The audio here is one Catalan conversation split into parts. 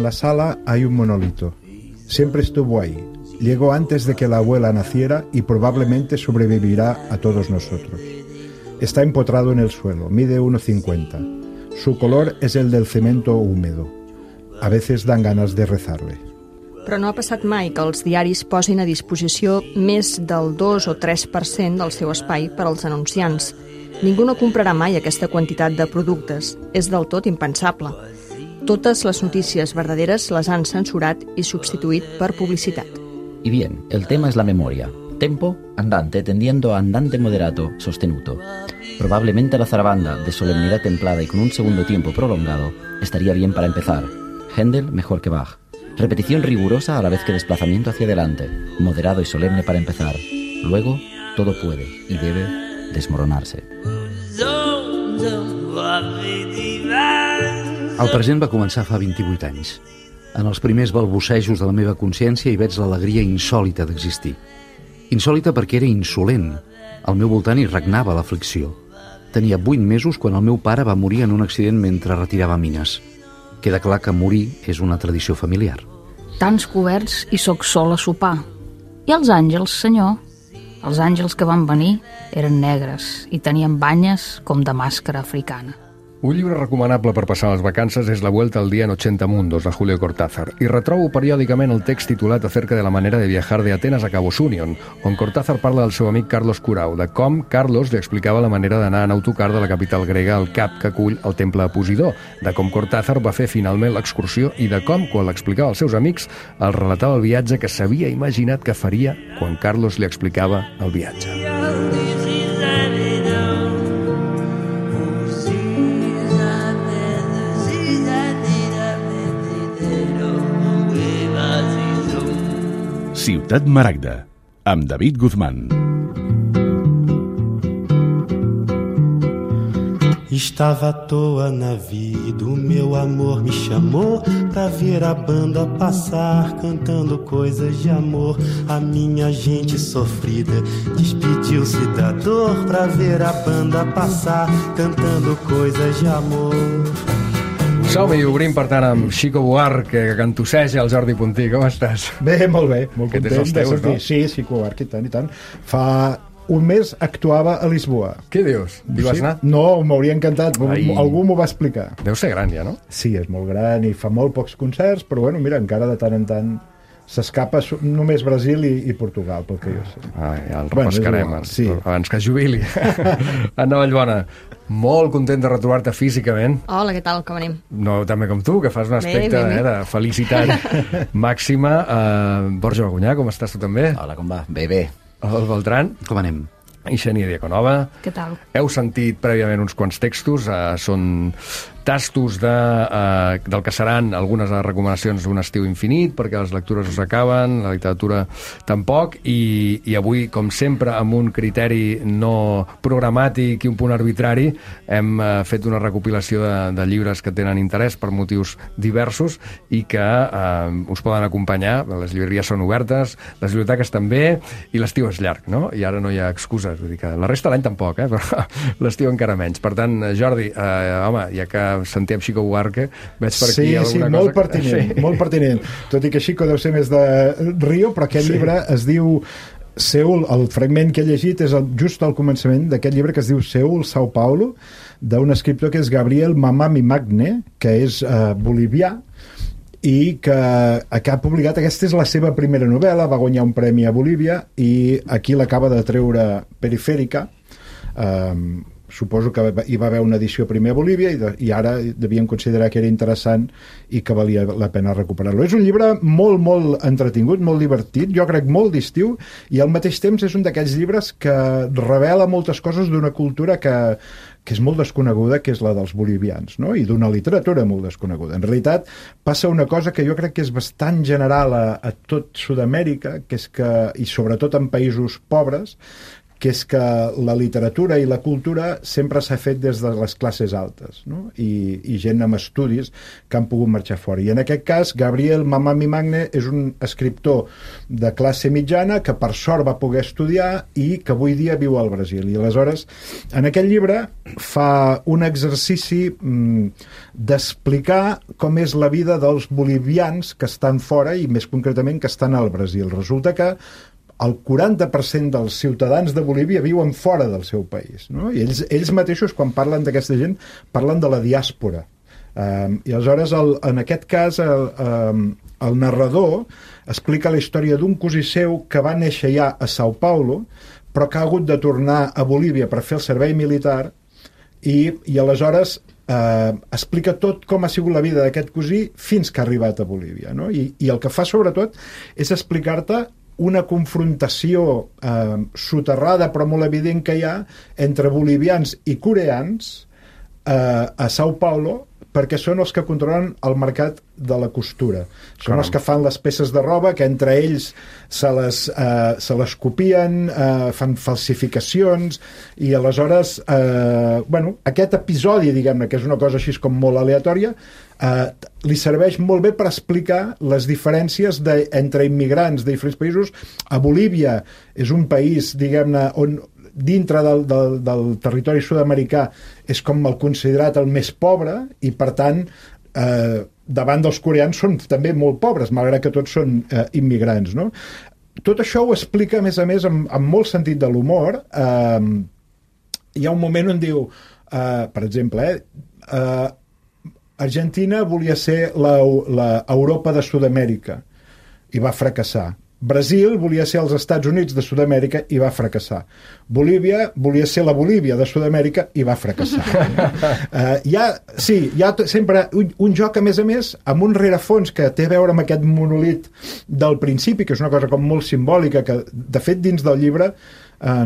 la sala hay un monolito. Siempre estuvo ahí. Llegó antes de que la abuela naciera y probablemente sobrevivirá a todos nosotros. Está empotrado en el suelo, mide 1,50. Su color es el del cemento húmedo. A veces dan ganas de rezarle. Però no ha passat mai que els diaris posin a disposició més del 2 o 3% del seu espai per als anunciants. Ningú no comprarà mai aquesta quantitat de productes. És del tot impensable. Totes les notícies verdaderes les han censurat i substituït per publicitat. Y bien, el tema es la memoria. Tempo, andante, tendiendo a andante moderato, sostenuto. Probablemente la zarabanda, de solemnidad templada y con un segundo tiempo prolongado, estaría bien para empezar. Händel mejor que Bach. Repetición rigurosa a la vez que desplazamiento hacia adelante, moderado y solemne para empezar. Luego, todo puede y debe desmoronarse. El present va començar fa 28 anys. En els primers balbucejos de la meva consciència hi veig l'alegria insòlita d'existir. Insòlita perquè era insolent. Al meu voltant hi regnava l'aflicció. Tenia 8 mesos quan el meu pare va morir en un accident mentre retirava mines. Queda clar que morir és una tradició familiar. Tants coberts i sóc sol a sopar. I els àngels, senyor? Els àngels que van venir eren negres i tenien banyes com de màscara africana. Un llibre recomanable per passar les vacances és La vuelta al día en 80 mundos, de Julio Cortázar, i retrobo periòdicament el text titulat acerca de la manera de viajar de Atenas a Cabo Sunion, on Cortázar parla del seu amic Carlos Curau, de com Carlos li explicava la manera d'anar en autocar de la capital grega al cap que acull el temple de Posidó, de com Cortázar va fer finalment l'excursió i de com, quan l'explicava als seus amics, els relatava el viatge que s'havia imaginat que faria quan Carlos li explicava el viatge. Ciutat Maragda, amb David Guzmán. Estava à toa na vida, o meu amor me chamou pra ver a banda passar, cantando coisas de amor. A minha gente sofrida despediu-se da dor pra ver a banda passar, cantando coisas de amor. Som-hi, obrim per tant amb Xico Buarque, que cantosseja el Jordi Puntí. Com estàs? Bé, molt content de sortir. No? Sí, Xico Buarque, i tant. Fa un mes actuava a Lisboa. Què dius? Hi vas anar? No, m'hauria encantat. Algú m'ho va explicar. Deu ser gran ja, no? Sí, és molt gran i fa molt pocs concerts, però bueno, mira, encara de tant en tant s'escapa només Brasil i Portugal, pel que jo sé. Ja el repescarem, sí. Abans que jubili. Anna Vallbona, molt content de retrobar-te físicament. Hola, què tal? Com anem? No tan bé com tu, que fas un aspecte de felicitat màxima. Borja Bagunyà, com estàs tu també? Hola, com va? Bé. El Beltran. Com anem? I Xènia Diaconova. Què tal? Heu sentit prèviament uns quants textos, són tastos del que seran algunes de les recomanacions d'un estiu infinit, perquè les lectures us acaben, la literatura tampoc, i avui, com sempre, amb un criteri no programàtic i un punt arbitrari, hem fet una recopilació de llibres que tenen interès per motius diversos i que us poden acompanyar. Les llibreries són obertes, les biblioteques també, i l'estiu és llarg, no? I ara no hi ha excuses, vull dir que la resta de l'any tampoc, però l'estiu encara menys. Per tant, Jordi, home, ja que sentem Xico Buarque, veig per aquí alguna cosa... Molt pertinent. Tot i que Xico deu ser més de Rio, però aquest llibre es diu Seul, el fragment que he llegit és just al començament d'aquest llibre que es diu Seul, Sao Paulo, d'un escriptor que és Gabriel Mamami Magne, que és bolivià, i que ha publicat, aquesta és la seva primera novel·la, va guanyar un premi a Bolívia i aquí l'acaba de treure Perifèrica. Suposo que hi va haver una edició primer a Bolívia i ara devien considerar que era interessant i que valia la pena recuperar-lo. És un llibre molt entretingut, molt divertit, jo crec molt d'estiu, i al mateix temps és un d'aquells llibres que revela moltes coses d'una cultura que és molt desconeguda, que és la dels bolivians, no? I d'una literatura molt desconeguda. En realitat passa una cosa que jo crec que és bastant general a tot Sud-amèrica, que és que, i sobretot en països pobres, que és que la literatura i la cultura sempre s'ha fet des de les classes altes, no? I gent amb estudis que han pogut marxar fora. I en aquest cas, Gabriel Mamami Magne és un escriptor de classe mitjana que per sort va poder estudiar i que avui dia viu al Brasil. I aleshores, en aquest llibre fa un exercici d'explicar com és la vida dels bolivians que estan fora i més concretament que estan al Brasil. Resulta que el 40% dels ciutadans de Bolívia viuen fora del seu país, no? I ells mateixos, quan parlen d'aquesta gent, parlen de la diàspora. I aleshores, en aquest cas, el narrador explica la història d'un cosí seu que va néixer ja a Sao Paulo, però que ha hagut de tornar a Bolívia per fer el servei militar, i aleshores explica tot com ha sigut la vida d'aquest cosí fins que ha arribat a Bolívia, no? I el que fa, sobretot, és explicar-te una confrontació soterrada però molt evident que hi ha entre bolivians i coreans a Sao Paulo, perquè són els que controlen el mercat de la costura. Són els que fan les peces de roba, que entre ells se les copien, fan falsificacions, i aleshores, aquest episodi, diguem-ne, que és una cosa així com molt aleatòria, li serveix molt bé per explicar les diferències entre immigrants de diferents països. A Bolívia és un país, diguem-ne, on dintre del territori sud-americà és com el considerat el més pobre i, per tant, davant dels coreans són també molt pobres, malgrat que tots són immigrants, no? Tot això ho explica, a més, amb molt sentit de l'humor. Hi ha un moment on diu, per exemple, Argentina volia ser l'Europa de Sud-amèrica i va fracassar. Brasil volia ser els Estats Units de Sud-amèrica i va fracassar. Bolívia volia ser la Bolívia de Sud-amèrica i va fracassar. Hi ha sempre un joc, a més, amb un rerefons que té a veure amb aquest monolit del principi, que és una cosa com molt simbòlica, que de fet dins del llibre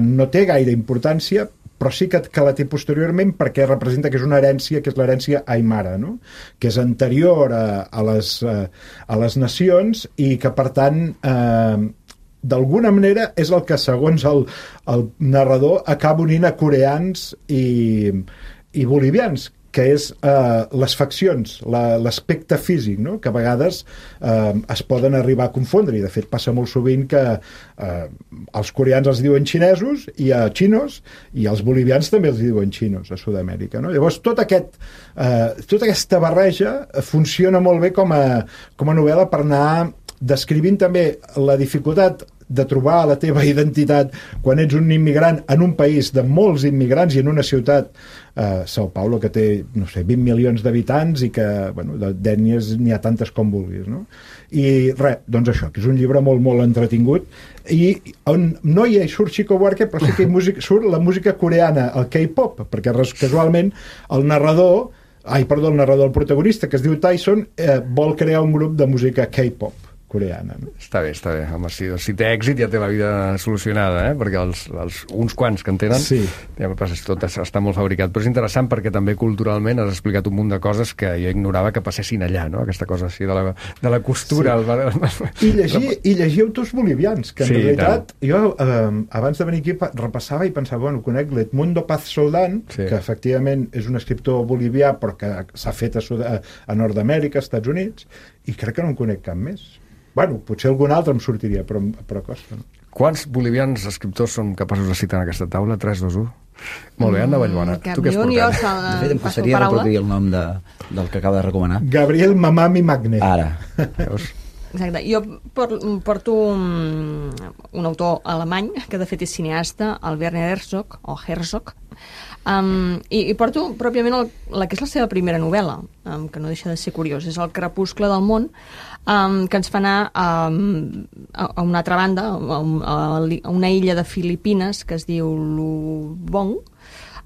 no té gaire importància, però sí que la té posteriorment perquè representa que és una herència, que és l'herència aimara, no? Que és anterior a les nacions i que, per tant, d'alguna manera és el que, segons el narrador, acaba unint a coreans i bolivians, que és les faccions, l'aspecte físic, no? Que a vegades es poden arribar a confondre, i de fet passa molt sovint que els coreans els diuen xinesos i a xinos, i els bolivians també els diuen xinos a Sud-amèrica, no? Llavors tota aquesta barreja funciona molt bé com a novel·la per anar descrivint també la dificultat de trobar la teva identitat quan ets un immigrant en un país de molts immigrants i en una ciutat, Sao Paulo, que té, no sé, 20 milions d'habitants i que, d'ètnies n'hi ha tantes com vulguis, no? I res, doncs això, que és un llibre molt, molt entretingut, i on no hi surt Chico Buarque, però sí que surt la música coreana, el K-pop, perquè casualment el protagonista, que es diu Tyson, vol crear un grup de música K-pop coreana, no? Està bé. Home, si té èxit ja té la vida solucionada, perquè uns quants que en tenen, sí. Ja tot està molt fabricat. Però és interessant perquè també culturalment has explicat un munt de coses que jo ignorava que passessin allà, no? Aquesta cosa així de la costura. Sí. I llegir autors bolivians, que en realitat jo abans de venir aquí repassava i pensava, conec l'Edmundo Paz Soldán, que efectivament és un escriptor bolivià però que s'ha fet a Nord-amèrica, als Estats Units, i crec que no en conec cap més. Potser algun altre em sortiria, però costa, no? Quants bolivians escriptors són capaços de citar en aquesta taula? 3, 2, 1? Molt bé, Anna Vallbona. Tu què has portat? De fet, em costaria reproduir el nom del que acaba de recomanar. Gabriel Mamami Magne. Ara. Exacte. Jo porto un autor alemany, que de fet és cineasta, el Werner Herzog, i porto pròpiament la que és la seva primera novel·la, que no deixa de ser curiós, és El crepuscle del món, que ens fa anar a una altra banda, a una illa de Filipines que es diu Lubong.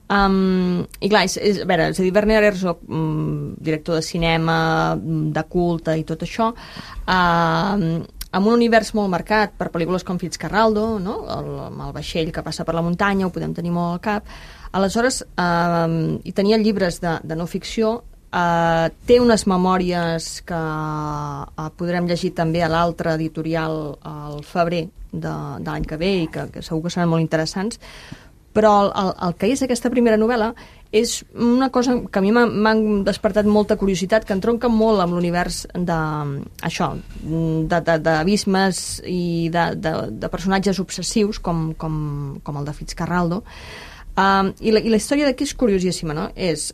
I clar, és a dir, Werner Herzog, director de cinema, de culte i tot això, amb un univers molt marcat per pel·lícules com Fitzcarraldo, no? El vaixell que passa per la muntanya, ho podem tenir molt al cap. Aleshores, hi tenia llibres de no ficció, té unes memòries que podrem llegir també a l'altre editorial al febrer de l'any que ve i que segur que seran molt interessants, però el que és aquesta primera novel·la és una cosa que a mi m'ha despertat molta curiositat, que entronca molt amb l'univers d'abismes i de personatges obsessius com el de Fitzcarraldo. I la història d'aquí és curiosíssima, no? És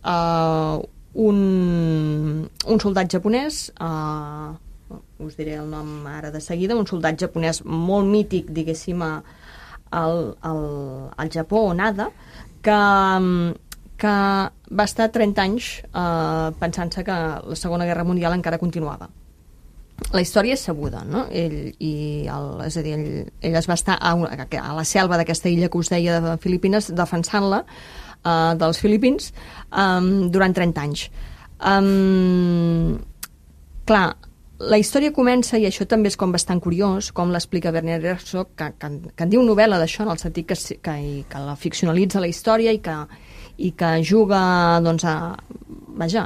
un soldat japonès, us diré el nom ara de seguida, un soldat japonès molt mític, diguéssim, al Japó, Onada, que va estar 30 anys pensant-se que la Segona Guerra Mundial encara continuava. La història és sabuda, no? Ell es va estar a la selva d'aquesta illa que us deia de Filipines, defensant-la dels filipins durant 30 anys. Clar, la història comença, i això també és com bastant curiós, com l'explica Werner Herzog, que en diu novel·la d'això, en el sentit que la ficcionalitza la història i que juga doncs, a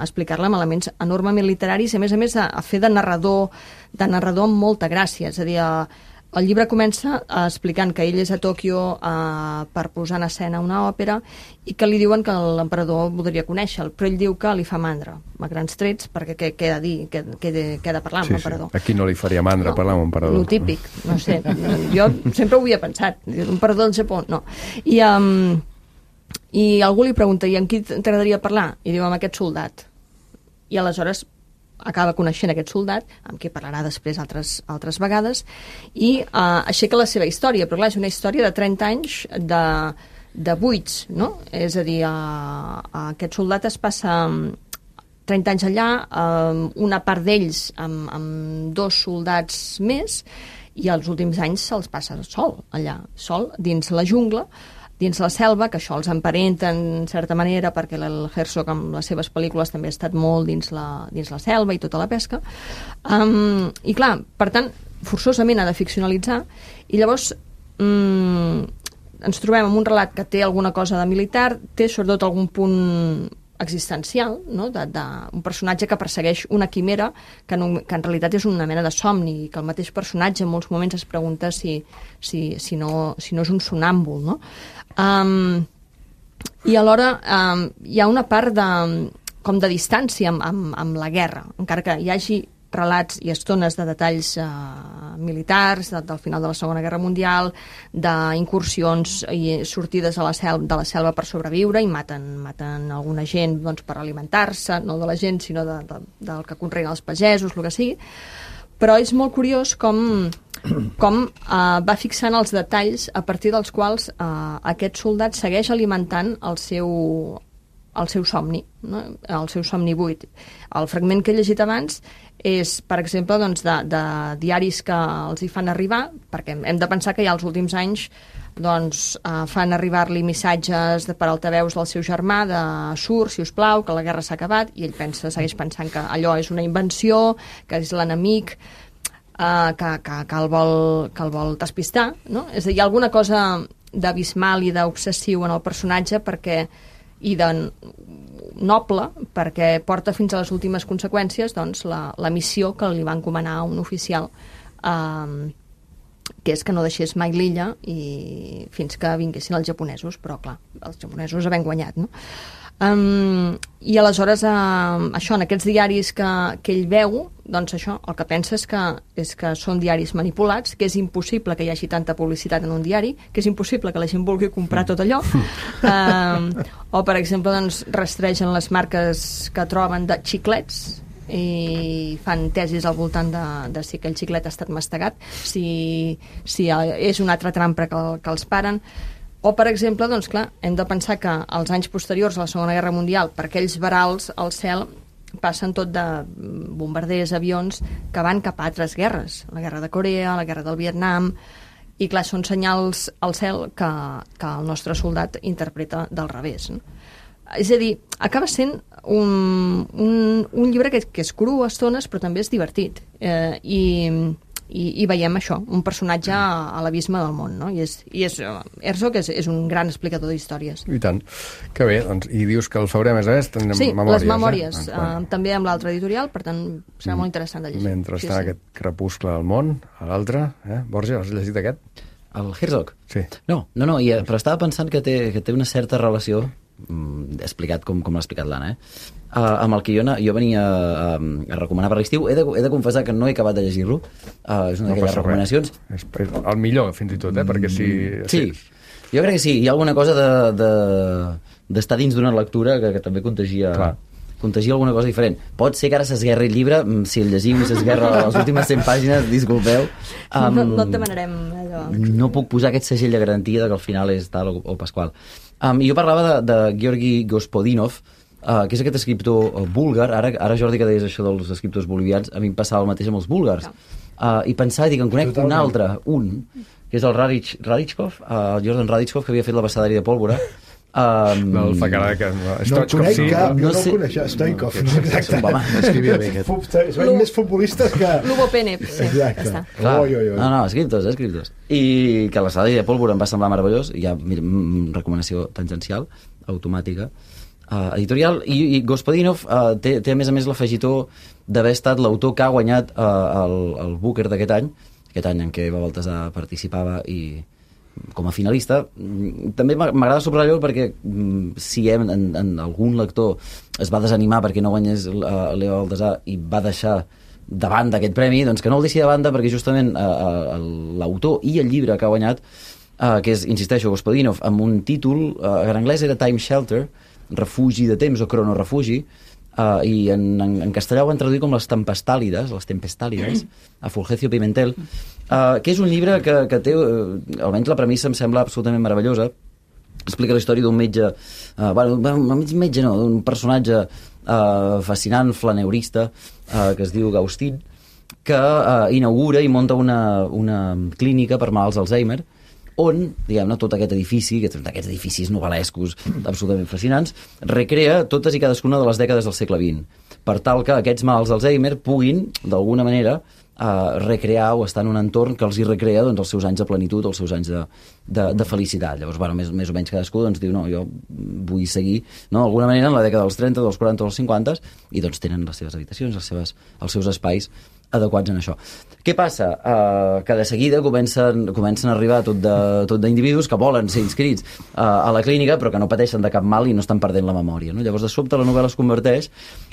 explicar-la amb elements enormement literaris i a més a fer de narrador amb molta gràcia. És a dir, el llibre comença explicant que ell és a Tòquio per posar en escena una òpera i que li diuen que l'emperador voldria conèixer-lo, però ell diu que li fa mandra, a grans trets, perquè què ha de dir, què ha de parlar amb l'emperador. A qui no li faria mandra parlar amb l'emperador? Lo típic, no sé, jo sempre ho havia pensat, l'emperador del Japó, no. I algú li pregunta, i amb qui t'agradaria parlar? I diu, amb aquest soldat. I aleshores acaba coneixent aquest soldat, amb qui parlarà després altres vegades, i aixeca la seva història, però clar, és una història de 30 anys de buits, no? És a dir, aquest soldat es passa 30 anys allà, una part d'ells amb 2 soldats més, i els últims anys se'ls passa sol, allà, sol, dins la jungla, dins la selva, que això els emparenta en certa manera, perquè el Herzog amb les seves pel·lícules també ha estat molt dins la selva i tota la pesca. I clar, per tant, forçosament ha de ficcionalitzar, i llavors ens trobem amb un relat que té alguna cosa de militar, té sobretot algun punt existencial, no? Un personatge que persegueix una quimera que en realitat és una mena de somni, i que el mateix personatge en molts moments es pregunta si no és un sonàmbul, no? I alhora hi ha una part com de distància amb la guerra, encara que hi hagi relats i estones de detalls militars del final de la Segona Guerra Mundial, d'incursions i sortides de la selva per sobreviure, i maten alguna gent doncs, per alimentar-se, no de la gent sinó del que conreen els pagesos, el que sigui, però és molt curiós com va fixant els detalls a partir dels quals aquest soldat segueix alimentant el seu somni, no? El seu somni buit. El fragment que he llegit abans és, per exemple, doncs, de diaris que els hi fan arribar, perquè hem de pensar que ja els últims anys doncs, fan arribar-li missatges per altaveus del seu germà de surt, si us plau, que la guerra s'ha acabat, i ell segueix pensant que allò és una invenció, que és l'enemic, que el vol despistar, no? És a dir, hi ha alguna cosa d'abismal i d'obsessiu en el personatge i de noble, perquè porta fins a les últimes conseqüències doncs, la missió que li va encomanar a un oficial, que és que no deixés mai l'illa i fins que vinguessin els japonesos, però clar, els japonesos havent guanyat, no? I aleshores això, en aquests diaris que ell veu, doncs això, el que pensa és que són diaris manipulats, que és impossible que hi hagi tanta publicitat en un diari, que és impossible que la gent vulgui comprar tot allò, o per exemple doncs, rastregen les marques que troben de xiclets i fan tesis al voltant de si aquell xiclet ha estat mastegat, si és una altra trampa que els paren. O, per exemple, doncs, clar, hem de pensar que als anys posteriors a la Segona Guerra Mundial, per aquells verals al cel passen tot de bombarders, avions, que van cap a altres guerres. La guerra de Corea, la guerra del Vietnam, i clar, són senyals al cel que el nostre soldat interpreta del revés, no? És a dir, acaba sent un llibre que és cru a estones, però també és divertit. I i veiem això, un personatge a l'abisme del món, no? I Herzog és un gran explicador d'històries. I tant. Que bé, doncs, i dius que el febrer, a més a més, tindrem memòries. Les memòries, també amb l'altre editorial, per tant, serà molt interessant de llegir. Mentre està aquest crepuscle del món, a l'altre, Borja, has llegit aquest? El Herzog? Sí. No, però estava pensant que té una certa relació, explicat com l'ha explicat l'Anna, amb el que jo venia a recomanar per l'estiu. He de confessar que no he acabat de llegir-lo. És una d'aquelles recomanacions. És el millor, fins i tot, perquè si... Sí, jo crec que sí. Hi ha alguna cosa d'estar dins d'una lectura que també contagia alguna cosa diferent. Pot ser que ara s'esguerri el llibre, si el llegim i s'esguerra les últimes 100 pàgines, disculpeu. No et demanarem allò. No puc posar aquest segell de garantia que al final és tal o pasqual. Jo parlava de Georgi Gospodinov, que és aquest escriptor búlgar. Ara Jordi, que deies això dels escriptors bolivians, a mi em passava el mateix amb els búlgars. I pensava, dic, en conec un altre, que és el Radichkov, el Jordan Radichkov, que havia fet l'Abecedari de Pólvora. Del Facarà, que no el conec cap, jo no el coneixia, Stoikov, exacte. Escrivia bé aquest. És més futbolistes que... Lubo Penep, sí, exacte. No, escriptors. I que l'Abecedari de Pólvora em va semblar meravellós, i ja, recomanació tangencial, automàtica, editorial, i Gospodinov té a més l'afegitó d'haver estat l'autor que ha guanyat el Booker d'aquest any en què Eva Baltasar participava i com a finalista. També m'agrada subratllar-ho perquè si en algun lector es va desanimar perquè no guanyés l'Eva Baltasar i va deixar de banda aquest premi, doncs que no el deixi de banda, perquè justament l'autor i el llibre que ha guanyat, que és, insisteixo, Gospodinov, amb un títol, en anglès era Time Shelter, refugi de temps o cronorefugi, i en castellà ho han traduït com les tempestálides, a Fulgencio Pimentel, que és un llibre que té, almenys la premissa em sembla absolutament meravellosa. Explica la història d'un metge, d'un personatge fascinant, flaneurista, que es diu Gaustin, que inaugura i monta una clínica per malalts d'Alzheimer, on, diguem-ne, tot aquest edifici, aquests edificis novel·lescos absolutament fascinants, recrea totes i cadascuna de les dècades del segle XX, per tal que aquests malalts d'Alzheimer puguin, d'alguna manera, recrear o estar en un entorn que els hi recrea els seus anys de plenitud, els seus anys de felicitat. Llavors, més o menys cadascú diu, no, jo vull seguir, d'alguna manera, en la dècada dels 30, dels 40 o dels 50, i tenen les seves habitacions, els seus espais adequats en això. Què passa? Que de seguida comencen a arribar tot d'individus que volen ser inscrits a la clínica però que no pateixen de cap mal i no estan perdent la memòria, no? Llavors, de sobte, la novel·la es converteix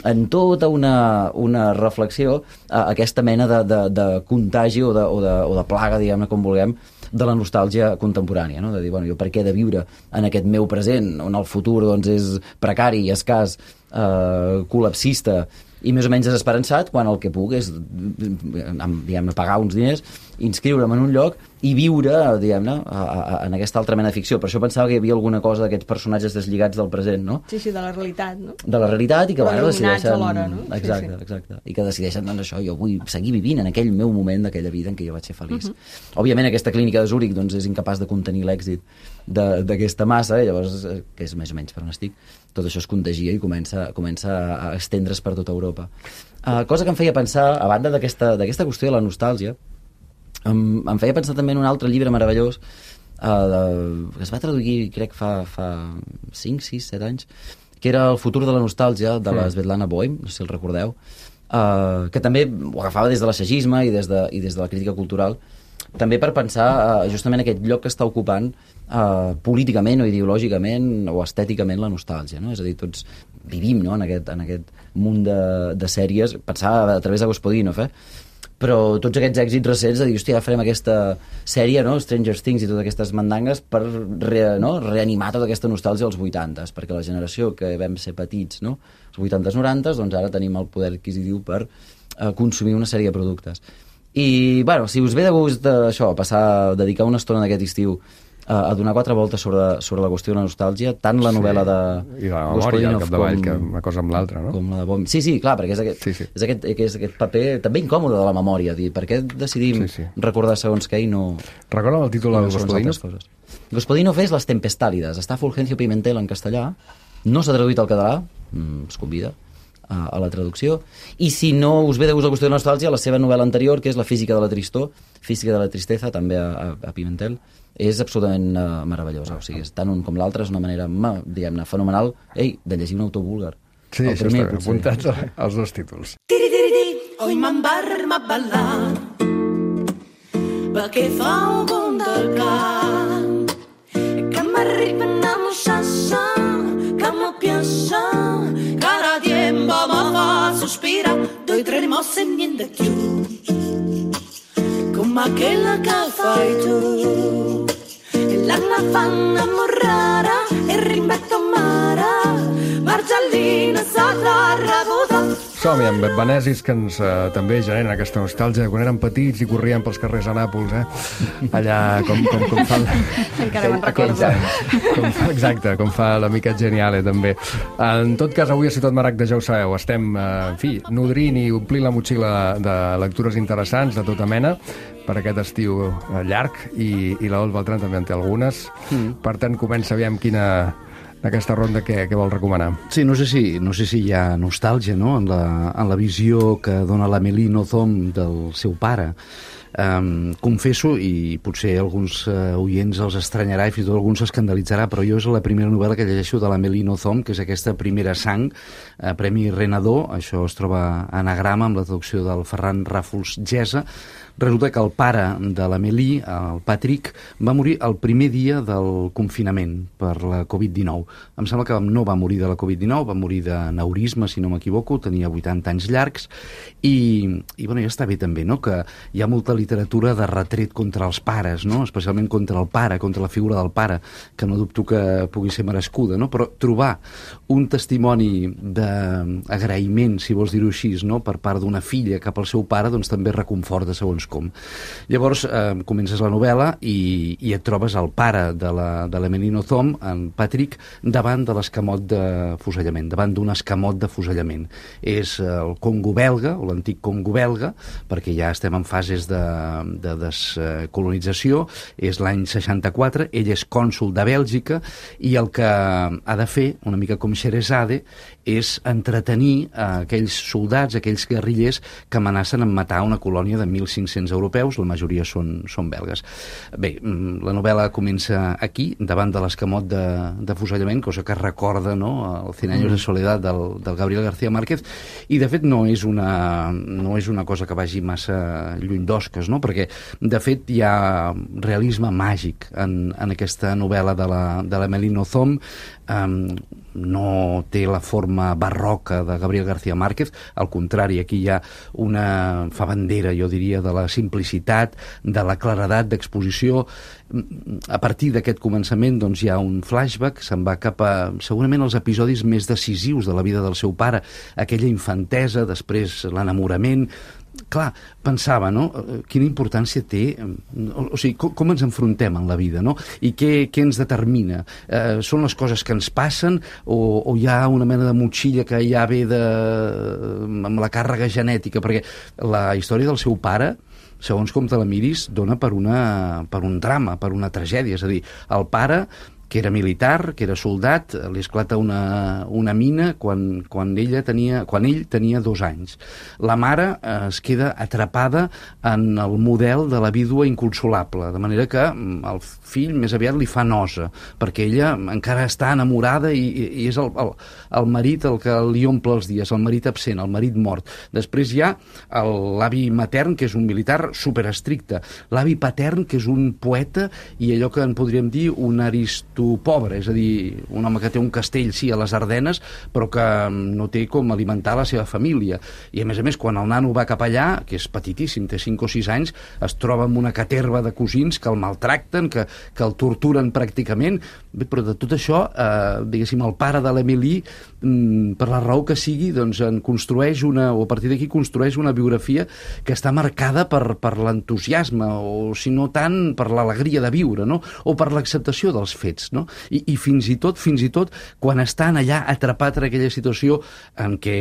en tota una reflexió, aquesta mena de contagi o de plaga, diguem-ne, com vulguem, de la nostàlgia contemporània, no? De dir, jo per què he de viure en aquest meu present, on el futur és precari, escàs, col·lapsista i més o menys desesperançat, quan el que puc és, diguem-ne, pagar uns diners, inscriure'm en un lloc i viure, diguem-ne, en aquesta altra mena de ficció. Per això pensava que hi havia alguna cosa d'aquests personatges deslligats del present, no? Sí, de la realitat, no? De la realitat i que decideixen... alhora, no? Exacte. I que decideixen, això, jo vull seguir vivint en aquell meu moment d'aquella vida en què jo vaig ser feliç. Òbviament, aquesta clínica de Zúrich és incapaç de contenir l'èxit d'aquesta massa, llavors, que és més o menys per on estic, tot això es contagia i comença a estendre's per tota Europa. Cosa que em feia pensar, a banda d'aquesta qüestió de la nostàlgia, em feia pensar també en un altre llibre meravellós que es va traduir, crec, fa 5, 6, 7 anys, que era El futur de la nostàlgia, de la Svetlana Boym, no sé si el recordeu, que també ho agafava des de l'assaggisme i des de la crítica cultural, també per pensar justament aquest lloc que està ocupant políticament o ideològicament o estèticament la nostàlgia, no? És a dir, tots vivim, no?, en aquest munt de sèries, pensava a través de Gospodinov, però tots aquests èxits recents de dir, hòstia, farem aquesta sèrie, no?, Stranger Things i totes aquestes mandangues per reanimar tota aquesta nostàlgia als 80s, perquè la generació que vam ser petits, no?, els 80s, 90s, doncs ara tenim el poder adquisitiu per consumir una sèrie de productes. I, si us ve de gust això, dedicar una estona d'aquest estiu a donar 4 voltes sobre la qüestió de la nostàlgia, tant la novel·la de i la memòria al capdavall, que una cosa amb l'altra, no? Com la de Bohm. Sí, clar, perquè és aquest paper també incòmode de la memòria, dir, per què decidim recordar segons què i no... Recorda'm el títol de Gospodinov? Gospodinov és Les tempestálides, està a Fulgencio Pimentel en castellà, no s'ha traduït al català, es convida, a la traducció. I si no us ve de gust la qüestió de nostàlgia, la seva novel·la anterior, que és La física de la tristor, Física de la tristeza, també a Pimentel, és absolutament meravellosa. O sigui, tant un com l'altre és una manera, diguem-ne, fenomenal, de llegir un autor búlgar. Sí, això està ben apuntats els dos títols. Oi m'embarma a ballar perquè fa un bon del camp que m'arriben a mossassa que me piensa cada tiempo me fa sospirar doy tres mosse niente più come aquella que fai tu e l'anna fa innamorare e rimetto mare Margellina s'agarra Som-hi amb venesis que ens també generen aquesta nostàlgia quan érem petits i corrien pels carrers a Nàpols, allà com fan... Encara me'n recordo. Exacte, com fa l'amica Geniale, també. En tot cas, avui a Ciutat Maragda, ja ho sabeu, estem, en fi, nodrint i omplint la motxilla de lectures interessants de tota mena per aquest estiu llarg i l'Adolf Beltrán també en té algunes. Per tant, comença, aviam aquesta ronda què vol recomanar. Sí, no sé si hi ha nostàlgia, no?, en la visió que dona la Melino Thom del seu pare. Confesso, i potser alguns oients els estranyarà i fins i tot alguns s'escandalitzarà, però jo és la primera novel·la que llegeixo de la Melino Thom, que és aquesta Primera sang, Premi Renador, això es troba a anagrama amb la traducció del Ferran Ràfols Gesa. Resulta que el pare de la Melí, el Patrick, va morir el primer dia del confinament per la Covid-19. Em sembla que no va morir de la Covid-19, va morir d'aneurisma, si no m'equivoco, tenia 80 anys llargs, i bueno, ja està bé també, no?, que hi ha molta literatura de retret contra els pares, no?, especialment contra el pare, contra la figura del pare, que no dubto que pugui ser merescuda, no?, però trobar un testimoni d'agraïment, si vols dir-ho així, no?, per part d'una filla cap al seu pare, doncs també reconforta segons com. Llavors comences la novel·la i et trobes el pare de la Melino Thom, en Patrick, davant de l'escamot de fusellament, davant d'un escamot de fusellament. És el Congo belga, o l'antic Congo belga, perquè ja estem en fases de descolonització, és l'any 64, ell és cònsol de Bèlgica, i el que ha de fer, una mica com Sheresade, és entretenir aquells soldats, aquells guerrillers que amenacen amb matar una colònia de 1.500 europeus, la majoria són belgues. Bé, la novel·la comença aquí, davant de l'escamot de fusellament, cosa que recorda, no?, el 100 años de soledad del Gabriel García Márquez, i de fet no és una cosa que vagi massa lluny d'osques, no?, perquè de fet hi ha realisme màgic en aquesta novel·la de la Melino Thom. No té la forma barroca de Gabriel García Márquez, al contrari, aquí hi ha fa bandera, jo diria, de la simplicitat, de la claredat d'exposició. A partir d'aquest començament doncs, hi ha un flashback, se'n va cap a segurament els episodis més decisius de la vida del seu pare, aquella infantesa, després l'enamorament. Clar, pensava, no?, quina importància té, o sigui, com ens enfrontem en la vida, no?, i què ens determina. Són les coses que ens passen o hi ha una mena de motxilla que ja ve amb la càrrega genètica, perquè la història del seu pare, segons com te la miris, dona per un drama, per una tragèdia. És a dir, el pare, que era militar, que era soldat, li esclata una mina quan ell tenia 2 anys. La mare es queda atrapada en el model de la vídua inconsolable, de manera que el fill més aviat li fa nosa, perquè ella encara està enamorada i és el marit el que li omple els dies, el marit absent, el marit mort. Després hi ha l'avi matern, que és un militar superestricte, l'avi patern, que és un poeta i allò que en podríem dir un pobre, és a dir, un home que té un castell, sí, a les Ardenes, però que no té com alimentar la seva família. I a més, quan el nano va cap allà, que és petitíssim, té 5 o 6 anys, es troba amb una caterva de cosins que el maltracten, que el torturen pràcticament. Bé, però de tot això, diguéssim, el pare de l'Emilí, per la raó que sigui, doncs en construeix o a partir d'aquí construeix una biografia que està marcada per l'entusiasme, o si no tant per l'alegria de viure, no?, o per l'acceptació dels fets. no? I fins i tot, quan estan allà atrapat en aquella situació en què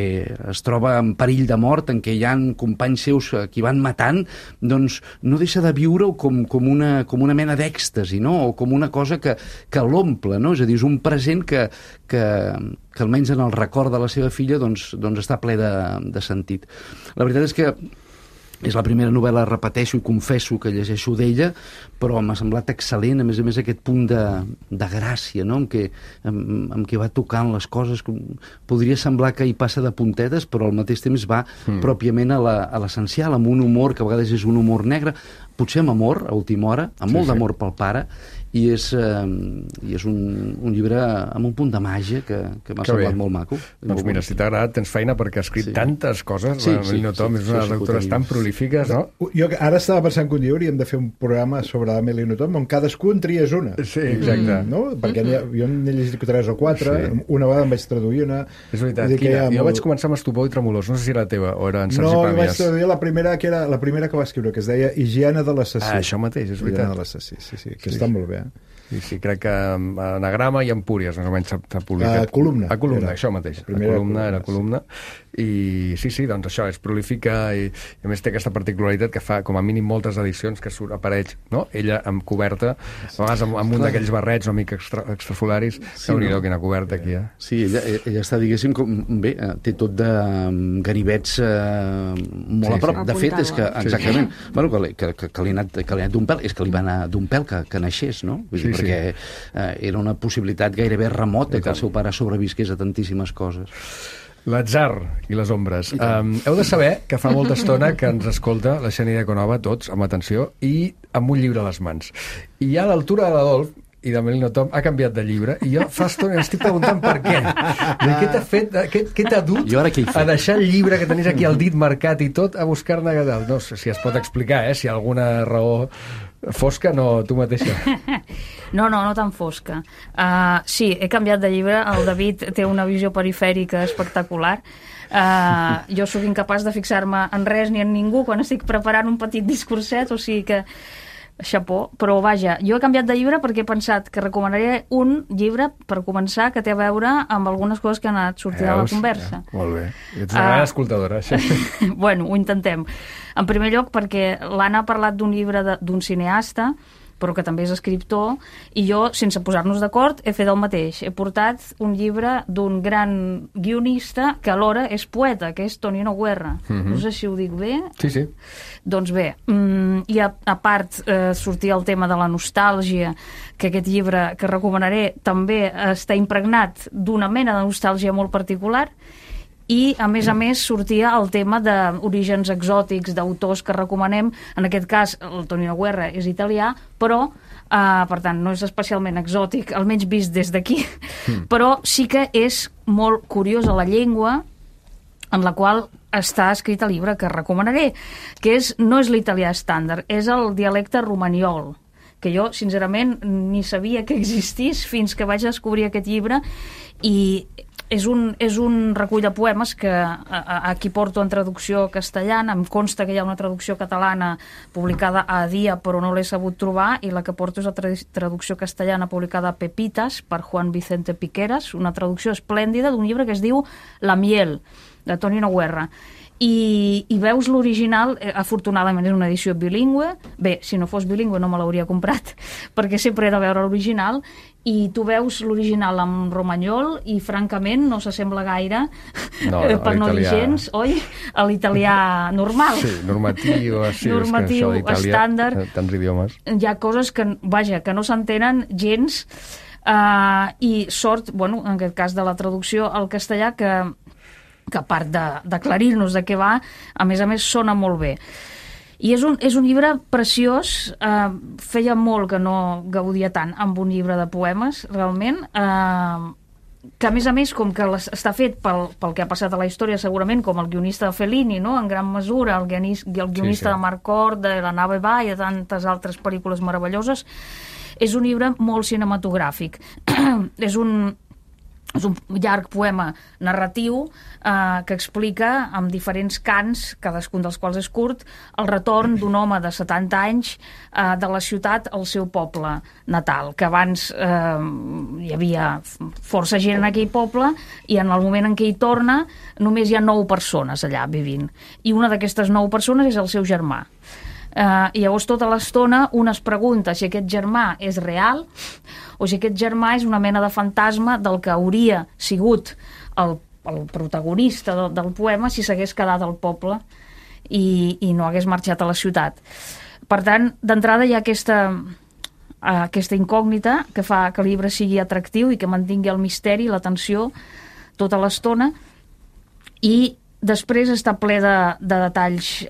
es troba en perill de mort, en què hi ha companys seus que van matant, doncs no deixa de viure-ho com una mena d'èxtasi, no? O com una cosa que l'omple, no? És a dir, és un present que almenys en el record de la seva filla doncs està ple de sentit. La veritat és que és la primera novel·la, repeteixo i confesso que llegeixo d'ella, però m'ha semblat excel·lent, a més aquest punt de gràcia, no? amb què va tocant les coses. Podria semblar que hi passa de puntetes, però al mateix temps va pròpiament a l'essencial, amb un humor que a vegades és un humor negre, potser amb amor, a última hora, amb molt d'amor pel pare, i és un llibre amb un punt de màgia que m'ha semblat molt maco. Doncs mira, si t'ha agradat, tens feina perquè ha escrit tantes coses. La Melino Tom és una lectores tan prolífiques, no? Jo ara estava pensant que un dia hauríem de fer un programa sobre la Melino Tom on cadascú en tries una. Sí, exacte. No? Perquè jo n'he llegit 3 o 4, una vegada em vaig traduir una. És veritat, jo vaig començar amb Estupor i Tremolors, no sé si era la teva o era en Sergi Pàmies. No, vaig traduir la primera que va escriure, que es deia Higiene de l'assassí. Això mateix, és veritat. Higiene de l'assassí, sí, que està molt bé. Sí, crec que en Anagrama i Empúries més o menys s'ha publicat. Columna. Columna, això mateix. Era columna. I sí, doncs això, és prolífica i a més té aquesta particularitat que fa com a mínim moltes edicions que apareix, no? Ella amb coberta, a vegades amb un d'aquells barrets una mica extrafolaris, déu-n'hi-do, quina coberta aquí, Sí, ella està, diguéssim, bé, té tot de ganivets molt a prop. De fet, és que, exactament, que li ha anat d'un pèl, és que li va anar d'un pèl que naixés, no? Vull dir, perquè era una possibilitat gairebé remota que el seu pare sobrevisqués a tantíssimes coses. L'atzar i les ombres. Heu de saber que fa molta estona que ens escolta la Xènia Conova, tots, amb atenció, i amb un llibre a les mans. I ja a l'altura de l'Adolf i de Melino Tom ha canviat de llibre i jo fa estona estic preguntant per què. Què t'ha fet? Què t'ha dut a deixar el llibre que tenies aquí al dit marcat i tot a buscar-ne a dalt? No sé si es pot explicar, si hi ha alguna raó fosca, no, tu mateixa. No tan fosca. Sí, he canviat de llibre. El David té una visió perifèrica espectacular. Jo sóc incapaç de fixar-me en res ni en ningú quan estic preparant un petit discurset, o sigui que xapó, però vaja, jo he canviat de llibre perquè he pensat que recomanaré un llibre per començar que té a veure amb algunes coses que han anat sortint a la conversa. Molt bé. Ets una gran escoltadora, això. Bueno, ho intentem. En primer lloc perquè l'Anna ha parlat d'un llibre d'un cineasta, però que també és escriptor, i jo, sense posar-nos d'acord, he fet el mateix. He portat un llibre d'un gran guionista que alhora és poeta, que és Tonino Guerra. No sé si ho dic bé. Sí. Doncs bé, i a part sortia el tema de la nostàlgia, que aquest llibre que recomanaré també està impregnat d'una mena de nostàlgia molt particular, i, a més, sortia el tema d'orígens exòtics, d'autors que recomanem. En aquest cas, el Tonino Guerra és italià, però, per tant, no és especialment exòtic, almenys vist des d'aquí, però sí que és molt curiosa la llengua en la qual està escrit el llibre que recomanaré, que no és l'italià estàndard, és el dialecte romaniol, que jo, sincerament, ni sabia que existís fins que vaig descobrir aquest llibre, i és un recull de poemes que aquí porto en traducció castellana. Em consta que hi ha una traducció catalana publicada a Dia, però no l'he sabut trobar, i la que porto és la traducció castellana publicada a Pepitas per Juan Vicente Piqueras, una traducció esplèndida d'un llibre que es diu La miel, de Tonino Guerra. I veus l'original, afortunadament és una edició bilingüe. Bé, si no fos bilingüe no me l'hauria comprat, perquè sempre he de veure l'original, i tu veus l'original en romanyol i francament no s'assembla gaire, per no dir gens, oi? A l'italià normal. Sí, normatiu, normatiu, estàndard. Tants idiomes. Hi ha coses que, vaja, que no s'entenen gens, i sort, bueno, en aquest cas de la traducció al castellà, que a part d'aclarir-nos de què va, a més sona molt bé. I és un llibre preciós. Feia molt que no gaudia tant amb un llibre de poemes, realment, que a més, com que està fet pel que ha passat a la història, segurament, com el guionista de Fellini, no? En gran mesura, el guionista de Marcord, de La nave va i de tantes altres pel·lícules meravelloses, és un llibre molt cinematogràfic. És és un llarg poema narratiu que explica amb diferents cants, cadascun dels quals és curt, el retorn d'un home de 70 anys de la ciutat al seu poble natal, que abans hi havia força gent en aquell poble i en el moment en què hi torna només hi ha 9 persones allà vivint. I una d'aquestes 9 persones és el seu germà. I llavors tota l'estona un es pregunta si aquest germà és real o si aquest germà és una mena de fantasma del que hauria sigut el protagonista del poema si s'hagués quedat al poble i no hagués marxat a la ciutat. Per tant, d'entrada hi ha aquesta incògnita que fa que el llibre sigui atractiu i que mantingui el misteri i la tensió tota l'estona, i després està ple de detalls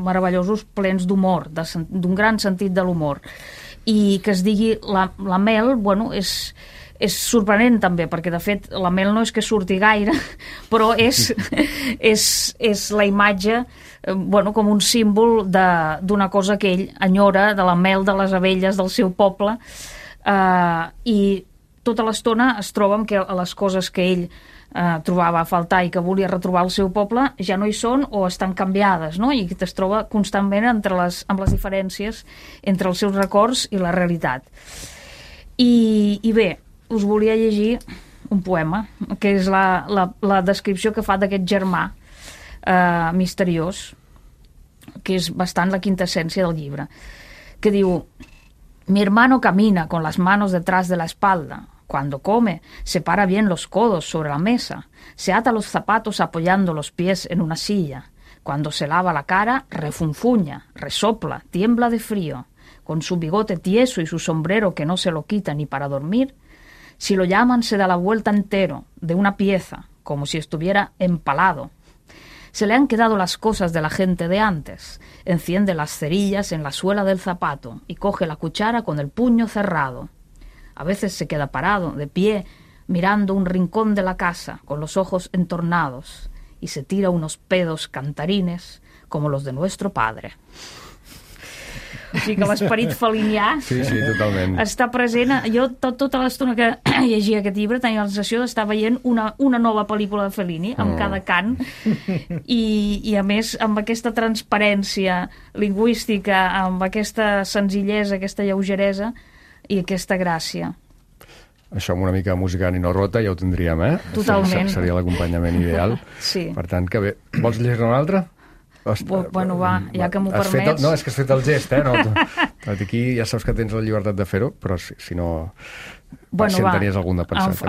meravellosos, plens d'humor, d'un gran sentit de l'humor. I que es digui la Mel, bueno, és sorprenent també, perquè de fet la Mel no és que surti gaire, però és la imatge, bueno, com un símbol d'una cosa que ell enyora, de la mel de les abelles del seu poble, i tota l'estona es troba amb que les coses que ell trobava a faltar i que volia retrobar el seu poble ja no hi són o estan canviades, no? I es troba constantment amb les diferències entre els seus records i la realitat. I bé, us volia llegir un poema, que és la descripció que fa d'aquest germà misteriós, que és bastant la quintessència del llibre, que diu: mi hermano camina con las manos detrás de la espalda. Cuando come, se para bien los codos sobre la mesa, se ata los zapatos apoyando los pies en una silla. Cuando se lava la cara, refunfuña, resopla, tiembla de frío. Con su bigote tieso y su sombrero que no se lo quita ni para dormir, si lo llaman se da la vuelta entero, de una pieza, como si estuviera empalado. Se le han quedado las cosas de la gente de antes. Enciende las cerillas en la suela del zapato y coge la cuchara con el puño cerrado. A veces se queda parado, de pie, mirando un rincón de la casa, con los ojos entornados, y se tira unos pedos cantarines como los de nuestro padre. O sigui que l'esperit felinià està present. Jo tota l'estona que llegia aquest llibre tenia la sensació d'estar veient una nova pel·lícula de Fellini amb cada cant i a més amb aquesta transparència lingüística, amb aquesta senzillesa, aquesta lleugeresa i aquesta gràcia. Això amb una mica de música Nino Rota ja ho tindríem, eh? Totalment. Seria l'acompanyament ideal. Sí. Per tant, que bé. Vols llegir una altra? Bueno, va, ja que m'ho permets... No, és que has fet el gest, eh? No, aquí ja saps que tens la llibertat de fer-ho, però si no... Bueno, si en tenies algun de pensat.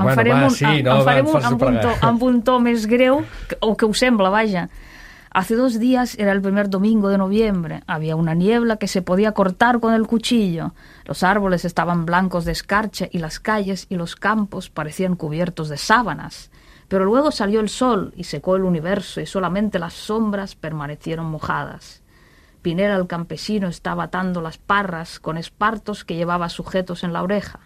Amb un to més greu, o que us sembla, vaja. Hace 2 días era el primer domingo de noviembre. Había una niebla que se podía cortar con el cuchillo. Los árboles estaban blancos de escarcha y las calles y los campos parecían cubiertos de sábanas. Pero luego salió el sol y secó el universo y solamente las sombras permanecieron mojadas. Pinera el campesino estaba atando las parras con espartos que llevaba sujetos en la oreja.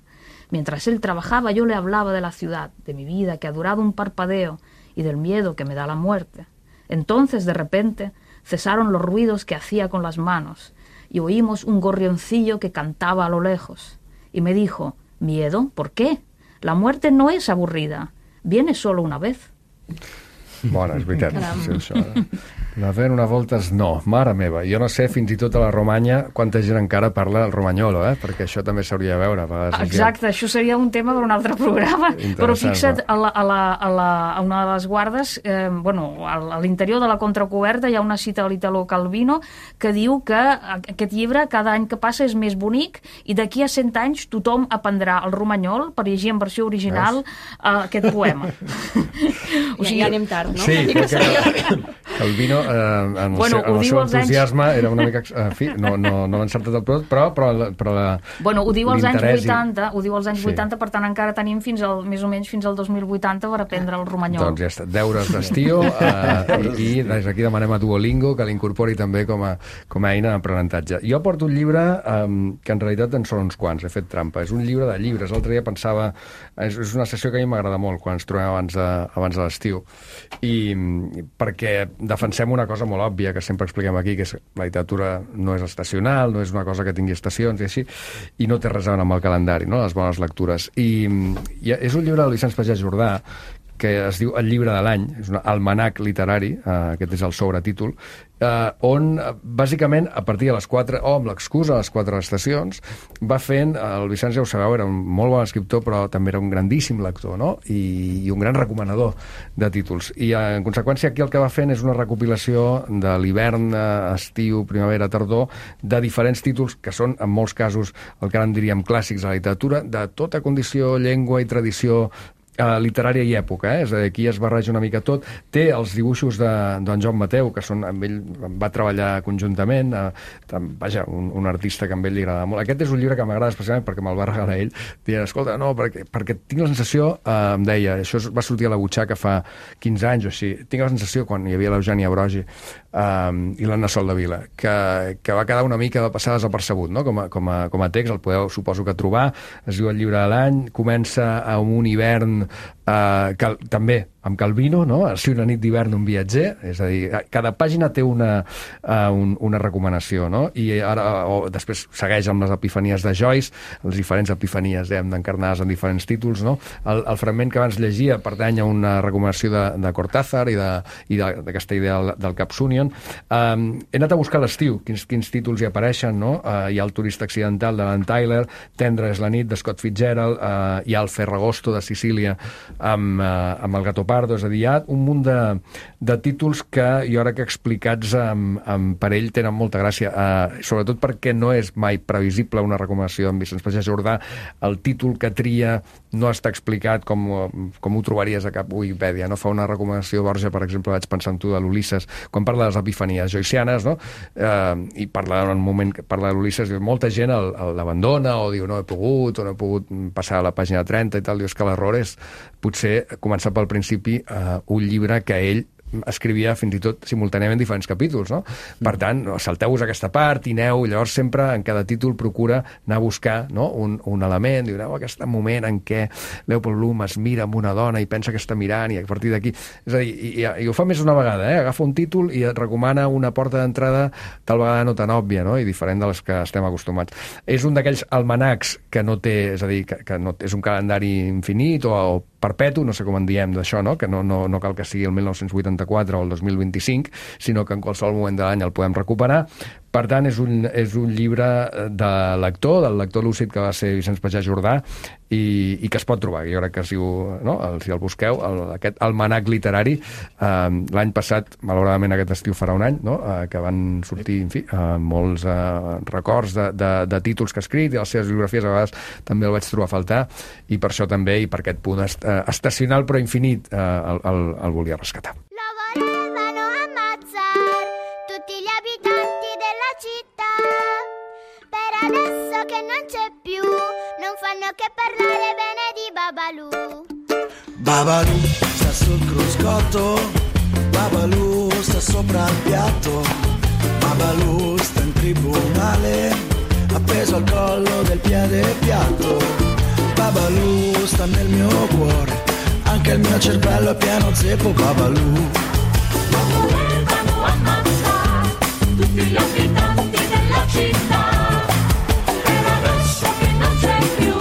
Mientras él trabajaba yo le hablaba de la ciudad, de mi vida que ha durado un parpadeo y del miedo que me da la muerte. Entonces, de repente, cesaron los ruidos que hacía con las manos y oímos un gorrioncillo que cantaba a lo lejos. Y me dijo: ¿miedo? ¿Por qué? La muerte no es aburrida. Viene solo una vez. Bona, és veritat. Sí, això. La fent una voltes, no, mare meva. Jo no sé, fins i tot a la Romanya, quanta gent encara parla el romanyolo, perquè això també s'hauria de veure. Exacte, això seria un tema per un altre programa. Però fixa't, a una de les guardes, a l'interior de la contracoberta hi ha una cita de l'Italo Calvino que diu que aquest llibre cada any que passa és més bonic i d'aquí a 100 anys tothom aprendrà el romanyol per llegir en versió original aquest poema. Ja anem tard, no? Sí, Calvino, en el seu entusiasme, era una mica... En fi, no l'ha encertat del tot, però ho diu als anys 80, per tant encara tenim més o menys fins al 2080 per aprendre el romanyol. Doncs ja està, deures d'estiu, i des d'aquí demanem a Duolingo que l'incorpori també com a eina d'aprenentatge. Jo porto un llibre que en realitat en són uns quants, he fet trampa. És un llibre de llibres. L'altre dia pensava... És una sessió que a mi m'agrada molt quan ens trobem abans de l'estiu. I perquè defensem una cosa molt òbvia que sempre expliquem aquí, que és la literatura no és estacional, no és una cosa que tingui estacions i així, i no té res a veure amb el calendari, no? Les bones lectures. I és un llibre del Vicenç Pagès Jordà que es diu El llibre de l'any, és un almanac literari, aquest és el sobretítol, on, bàsicament, a partir de les 4, o amb l'excusa de les 4 estacions, va fent, el Vicenç ja ho sabeu, era un molt bon escriptor, però també era un grandíssim lector, no? I un gran recomanador de títols. I, en conseqüència, aquí el que va fent és una recopilació de l'hivern, estiu, primavera, tardor, de diferents títols que són, en molts casos, el que ara en diríem clàssics de la literatura, de tota condició, llengua i tradició literària i època, és a dir, aquí es barreja una mica tot. Té els dibuixos d'en Joan Mateu, que són, amb ell va treballar conjuntament, vaja, un artista que amb ell li agrada molt. Aquest és un llibre que m'agrada especialment perquè me'l va regalar ell, dient, escolta, no, perquè tinc la sensació, em deia, això va sortir a la butxaca fa 15 anys o així, tinc la sensació, quan hi havia l'Eugènia Brogi i l'Anna Soldevila, que va quedar una mica passar desapercebut, no? Com a text, el podeu, suposo que trobar, es diu El llibre de l'any, comença amb un hivern també amb Calvino, no? Si una nit d'hivern d'un viatger, és a dir, cada pàgina té una recomanació, no? I ara, després segueix amb les epifanies de Joyce, les diferents epifanies encarnades en diferents títols, no? El fragment que abans llegia pertany a una recomanació de Cortázar i d'aquesta idea del Capsunion. He anat a buscar l'estiu, quins títols hi apareixen, no? Hi ha El turista accidental de l'Ann Tyler, Tendre és la nit de Scott Fitzgerald, hi ha El Ferragosto de Sicília amb el Gatto Pardo, és a dir, hi ha un munt de títols que jo crec que explicats per ell tenen molta gràcia, sobretot perquè no és mai previsible una recomanació d'en Vicenç Pagès Jordà. El títol que tria no està explicat com ho trobaries a cap Wikipedia, no? Fa una recomanació, Borja, per exemple, vaig pensar en tu, de l'Ulisses, quan parla de les epifanies joycianes, no? I parla en un moment que parla de l'Ulisses, molta gent l'abandona o diu no he pogut, o no he pogut passar a la pàgina 30 i tal. Dius que l'error és potser començar pel principi un llibre que ell escrivia fins i tot simultàniament diferents capítols, no? Per tant, salteu-vos aquesta part i aneu, llavors sempre en cada títol procura anar a buscar, no? un element, diu, aquest moment en què Leopold Bloom es mira amb una dona i pensa que està mirant i a partir d'aquí... És a dir, i ho fa més d'una vegada, agafa un títol i et recomana una porta d'entrada tal vegada no tan òbvia, no? I diferent de les que estem acostumats. És un d'aquells almanacs que no té, és a dir, que no és un calendari infinit o perpetu, no sé com en diem d'això, no? Que no cal que sigui el 1984 o el 2025, sinó que en qualsevol moment de l'any el podem recuperar. Per tant, és un llibre del lector lúcid que va ser Vicenç Pagès Jordà i que es pot trobar. Jo crec que si el busqueu, aquest almanac literari, l'any passat, malauradament aquest estiu farà un any, no? Que van sortir, en fi, molts records de títols que ha escrit i les seves biografies a vegades també el vaig trobar a faltar i per això també, i per aquest punt estacional però infinit, el volia rescatar. Lo volevano ammazzare tutti gli abitanti della città, per adesso che non c'è più non fanno che parlare bene di Babalu. Babalu sta sul cruscotto, Babalu sta sopra il piatto, Babalu sta in tribunale appeso al collo del piede piatto, Babalu sta nel mio cuore, anche il mio cervello è pieno zeppo. Babalu. Lo volevano ammazzare tutti gli abitanti della città, per adesso che non c'è più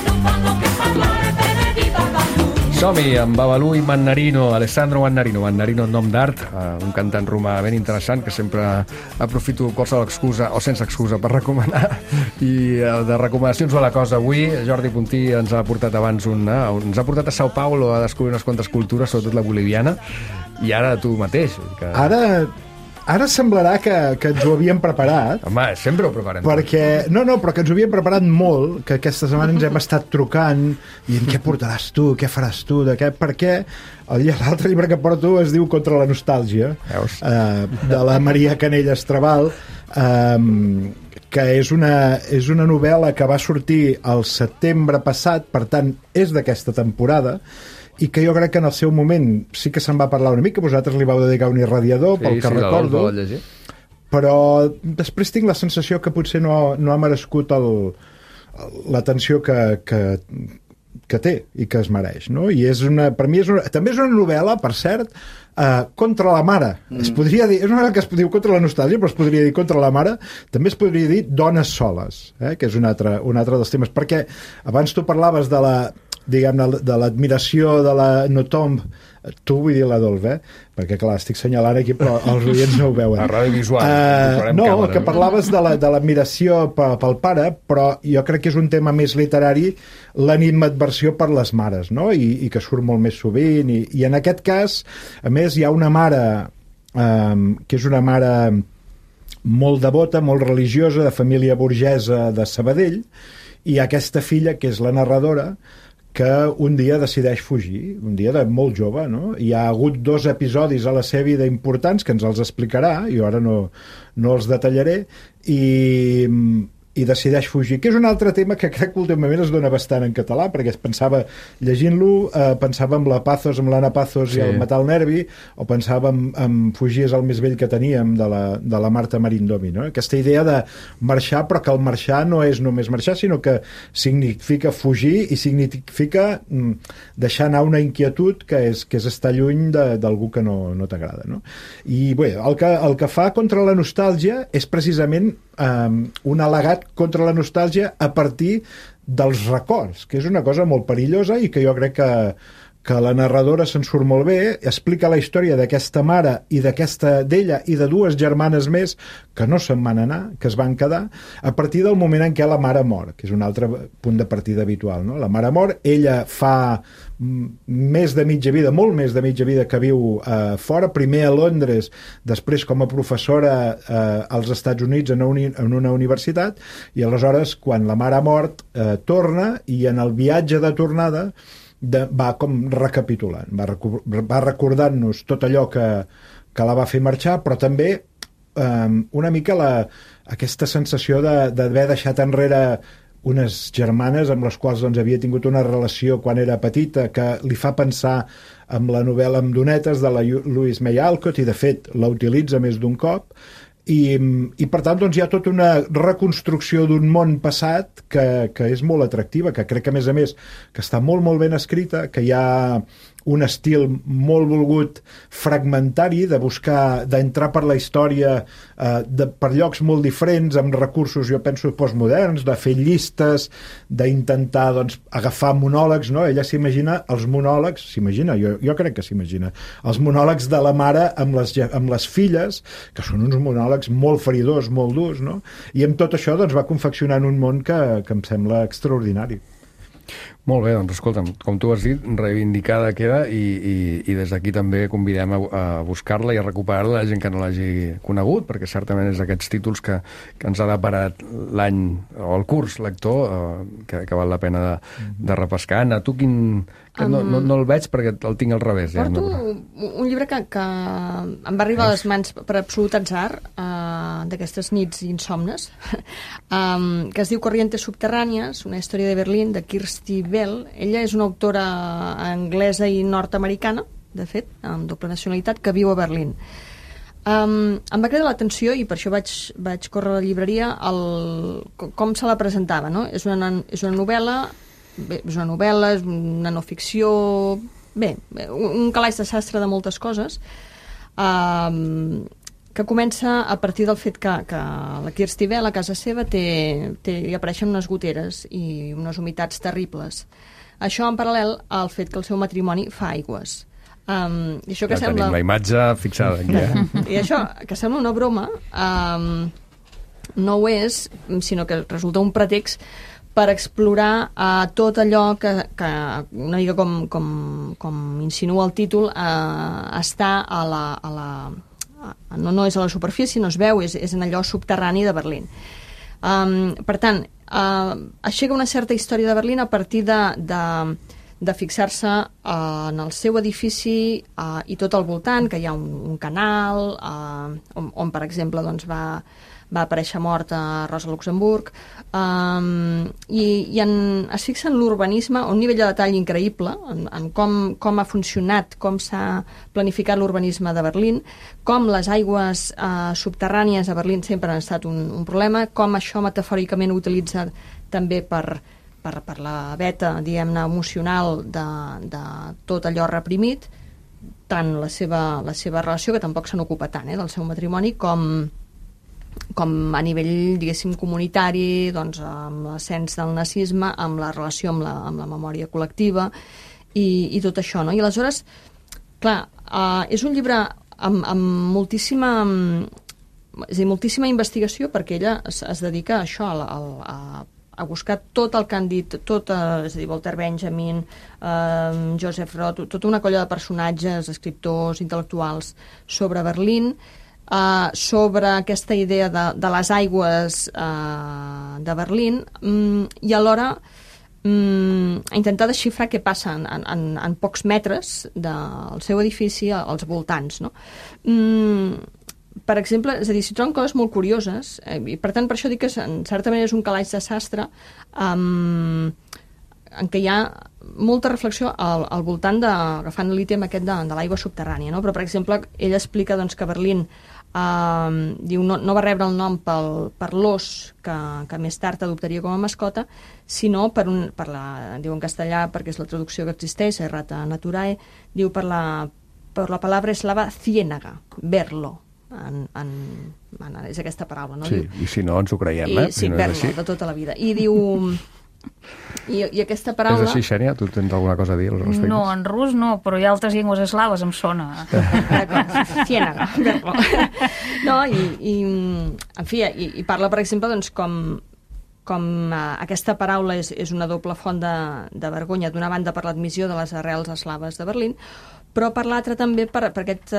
non fanno che parlare bene di Babalu. Som-hi amb Babalu i Mannarino, Alessandro Mannarino nom d'art, un cantant romà ben interessant que sempre aprofito qualsevol excusa o sense excusa per recomanar, i de recomanacions va la cosa avui. Jordi Puntí ens ha portat abans ens ha portat a Sao Paulo a descobrir unes quantes cultures, sobretot la boliviana, i ara tu mateix. Ara semblarà que ens ho havíem preparat. Home, sempre ho preparem. Perquè, però que ens ho havíem preparat molt, que aquesta setmana ens hem estat trucant i què portaràs tu, què faràs tu, perquè l'altre llibre que porto es diu Contra la nostàlgia, de la Maria Canelles Trabal, que és una novel·la que va sortir el setembre passat, per tant, és d'aquesta temporada, i que jo crec que en el seu moment sí que se'n va parlar una mica, vosaltres li vau dedicar un irradiador, pel que recordo, però després tinc la sensació que potser no ha merescut l'atenció que té i que es mereix, no? I per mi també és una novel·la, per cert, contra la mare. Es podria dir, és una que es diu contra la nostàlgia, però es podria dir contra la mare. També es podria dir dones soles, que és un altre dels temes. Perquè abans tu parlaves de la, diguem-ne, de l'admiració de la Notomb, tu vull dir l'Adolf, perquè clar, estic assenyalant aquí però els oients no ho veuen. A ràdio visual. No, que parlaves de l'admiració pel pare, però jo crec que és un tema més literari, l'animadversió per les mares, no? I que surt molt més sovint, i en aquest cas, a més, hi ha una mare que és una mare molt devota, molt religiosa, de família burgesa de Sabadell, i aquesta filla, que és la narradora, que un dia decideix fugir, un dia de molt jove, no? Hi ha hagut 2 episodis a la seva vida importants, que ens els explicarà, jo ara no els detallaré, i decideix fugir, que és un altre tema que crec que últimament es dona bastant en català, perquè es pensava, llegint-lo, pensava en la Pazos, amb l'Anna Pazos i el Matar el Nervi, o pensava en Fugir és el més vell que teníem, de la Marta Marindomi, no? Aquesta idea de marxar, però que el marxar no és només marxar, sinó que significa fugir i significa deixar anar una inquietud que és estar lluny d'algú que no t'agrada, no? I bé, el que fa contra la nostàlgia és precisament un al·legat contra la nostàlgia a partir dels records, que és una cosa molt perillosa i que jo crec que la narradora se'n surt molt bé, explica la història d'aquesta mare i d'ella i de 2 germanes més que no se'n van anar, que es van quedar, a partir del moment en què la mare mor, que és un altre punt de partida habitual, no? La mare mor, ella fa més de mitja vida, molt més de mitja vida que viu fora, primer a Londres, després com a professora als Estats Units en una universitat, i aleshores quan la mare ha mort torna, i en el viatge de tornada va com recapitulant, va recordant-nos tot allò que la va fer marxar, però també una mica aquesta sensació d'haver deixat enrere unes germanes amb les quals doncs, havia tingut una relació quan era petita, que li fa pensar en la novel·la Amb donetes de la Louise May Alcott, i de fet la utilitza més d'un cop, i per tant doncs, hi ha tota una reconstrucció d'un món passat que és molt atractiva, que crec que a més que està molt molt ben escrita, que hi ha un estil molt volgut fragmentari, de buscar, d'entrar per la història per llocs molt diferents, amb recursos, jo penso, postmoderns, de fer llistes, d'intentar doncs, agafar monòlegs, no? Ella s'imagina els monòlegs, jo crec que s'imagina, els monòlegs de la mare amb les filles, que són uns monòlegs molt feridors, molt durs, no? I amb tot això doncs, va confeccionant un món que em sembla extraordinari. Molt bé, doncs escolta'm, com tu has dit, reivindicada queda, i des d'aquí també convidem a buscar-la i a recuperar-la la gent que no l'hagi conegut, perquè certament és d'aquests títols que ens ha deparat l'any o el curs lector, que val la pena de repescar. Anna, tu no el veig perquè el tinc al revés. Porto un llibre que em va arribar a les mans per absolut atzar, d'aquestes nits insomnes, que es diu Corrientes subterrànies, una història de Berlín, de Kirsty Bell. Ella és una autora anglesa i nord-americana, de fet, amb doble nacionalitat, que viu a Berlín. Em va cridar l'atenció, i per això vaig córrer a la llibreria, com se la presentava, no? És una novel·la, és una no ficció, un calaix de sastre de moltes coses, que comença a partir del fet que la Kirsty Bell a casa seva hi apareixen unes goteres i unes humitats terribles. Això en paral·lel al fet que el seu matrimoni fa aigües. I això que sembla... tenim la imatge fixada aquí. I això, que sembla una broma, no ho és, sinó que resulta un pretext per explorar tot allò que una mica com insinua el títol, està no és a la superfície, no es veu, és en allò subterrani de Berlín. Per tant, aixeca una certa història de Berlín a partir de fixar-se en el seu edifici i tot al voltant, que hi ha un canal on per exemple, doncs, va aparèixer mort a Rosa Luxemburg, i es fixa en l'urbanisme a un nivell de detall increïble, en com ha funcionat, com s'ha planificat l'urbanisme de Berlín, com les aigües subterrànies a Berlín sempre han estat un problema, com això metafòricament ho utilitza també per la veta, diguem-ne, emocional de tot allò reprimit. tant la seva relació, que tampoc se n'ocupa tant, del seu matrimoni, com a nivell, diguéssim, comunitari, doncs, amb l'ascens del nazisme, amb la relació amb la memòria col·lectiva i tot això, no? I aleshores, clar, és un llibre amb moltíssima... És a dir, moltíssima investigació, perquè ella es dedica a això, a buscar tot el que han dit, és a dir, Walter Benjamin, Joseph Roth, tota una colla de personatges, escriptors, intel·lectuals sobre Berlín, sobre aquesta idea de les aigües de Berlín, i alhora intentar desxifrar què passa en pocs metres del seu edifici als voltants, no? Per exemple, és a dir, s'hi troben coses molt curioses, i per tant per això dic que en certa manera és un calaix de sastre en què hi ha molta reflexió al voltant agafant l'ítem aquest de l'aigua subterrània, no? Però, per exemple, ell explica doncs, que Berlín diu, no va rebre el nom per l'ós que més tard adoptaria com a mascota, sinó diu en castellà, perquè és la traducció que existeix, errata naturae, diu per la palabra eslava ciénaga, verlo. És aquesta paraula, no? Sí, i si no ens ho creiem, Sí, verlo, de tota la vida. I diu... I aquesta paraula... És així, Xènia? Tu tens alguna cosa a dir al respecte? No, en rus no, però hi ha altres llengües eslaves, em sona. Ciénaga, verlo. No, en fi, i parla, per exemple, doncs, com aquesta paraula és una doble font de vergonya, d'una banda per l'admissió de les arrels eslaves de Berlín, però per l'altra també per aquest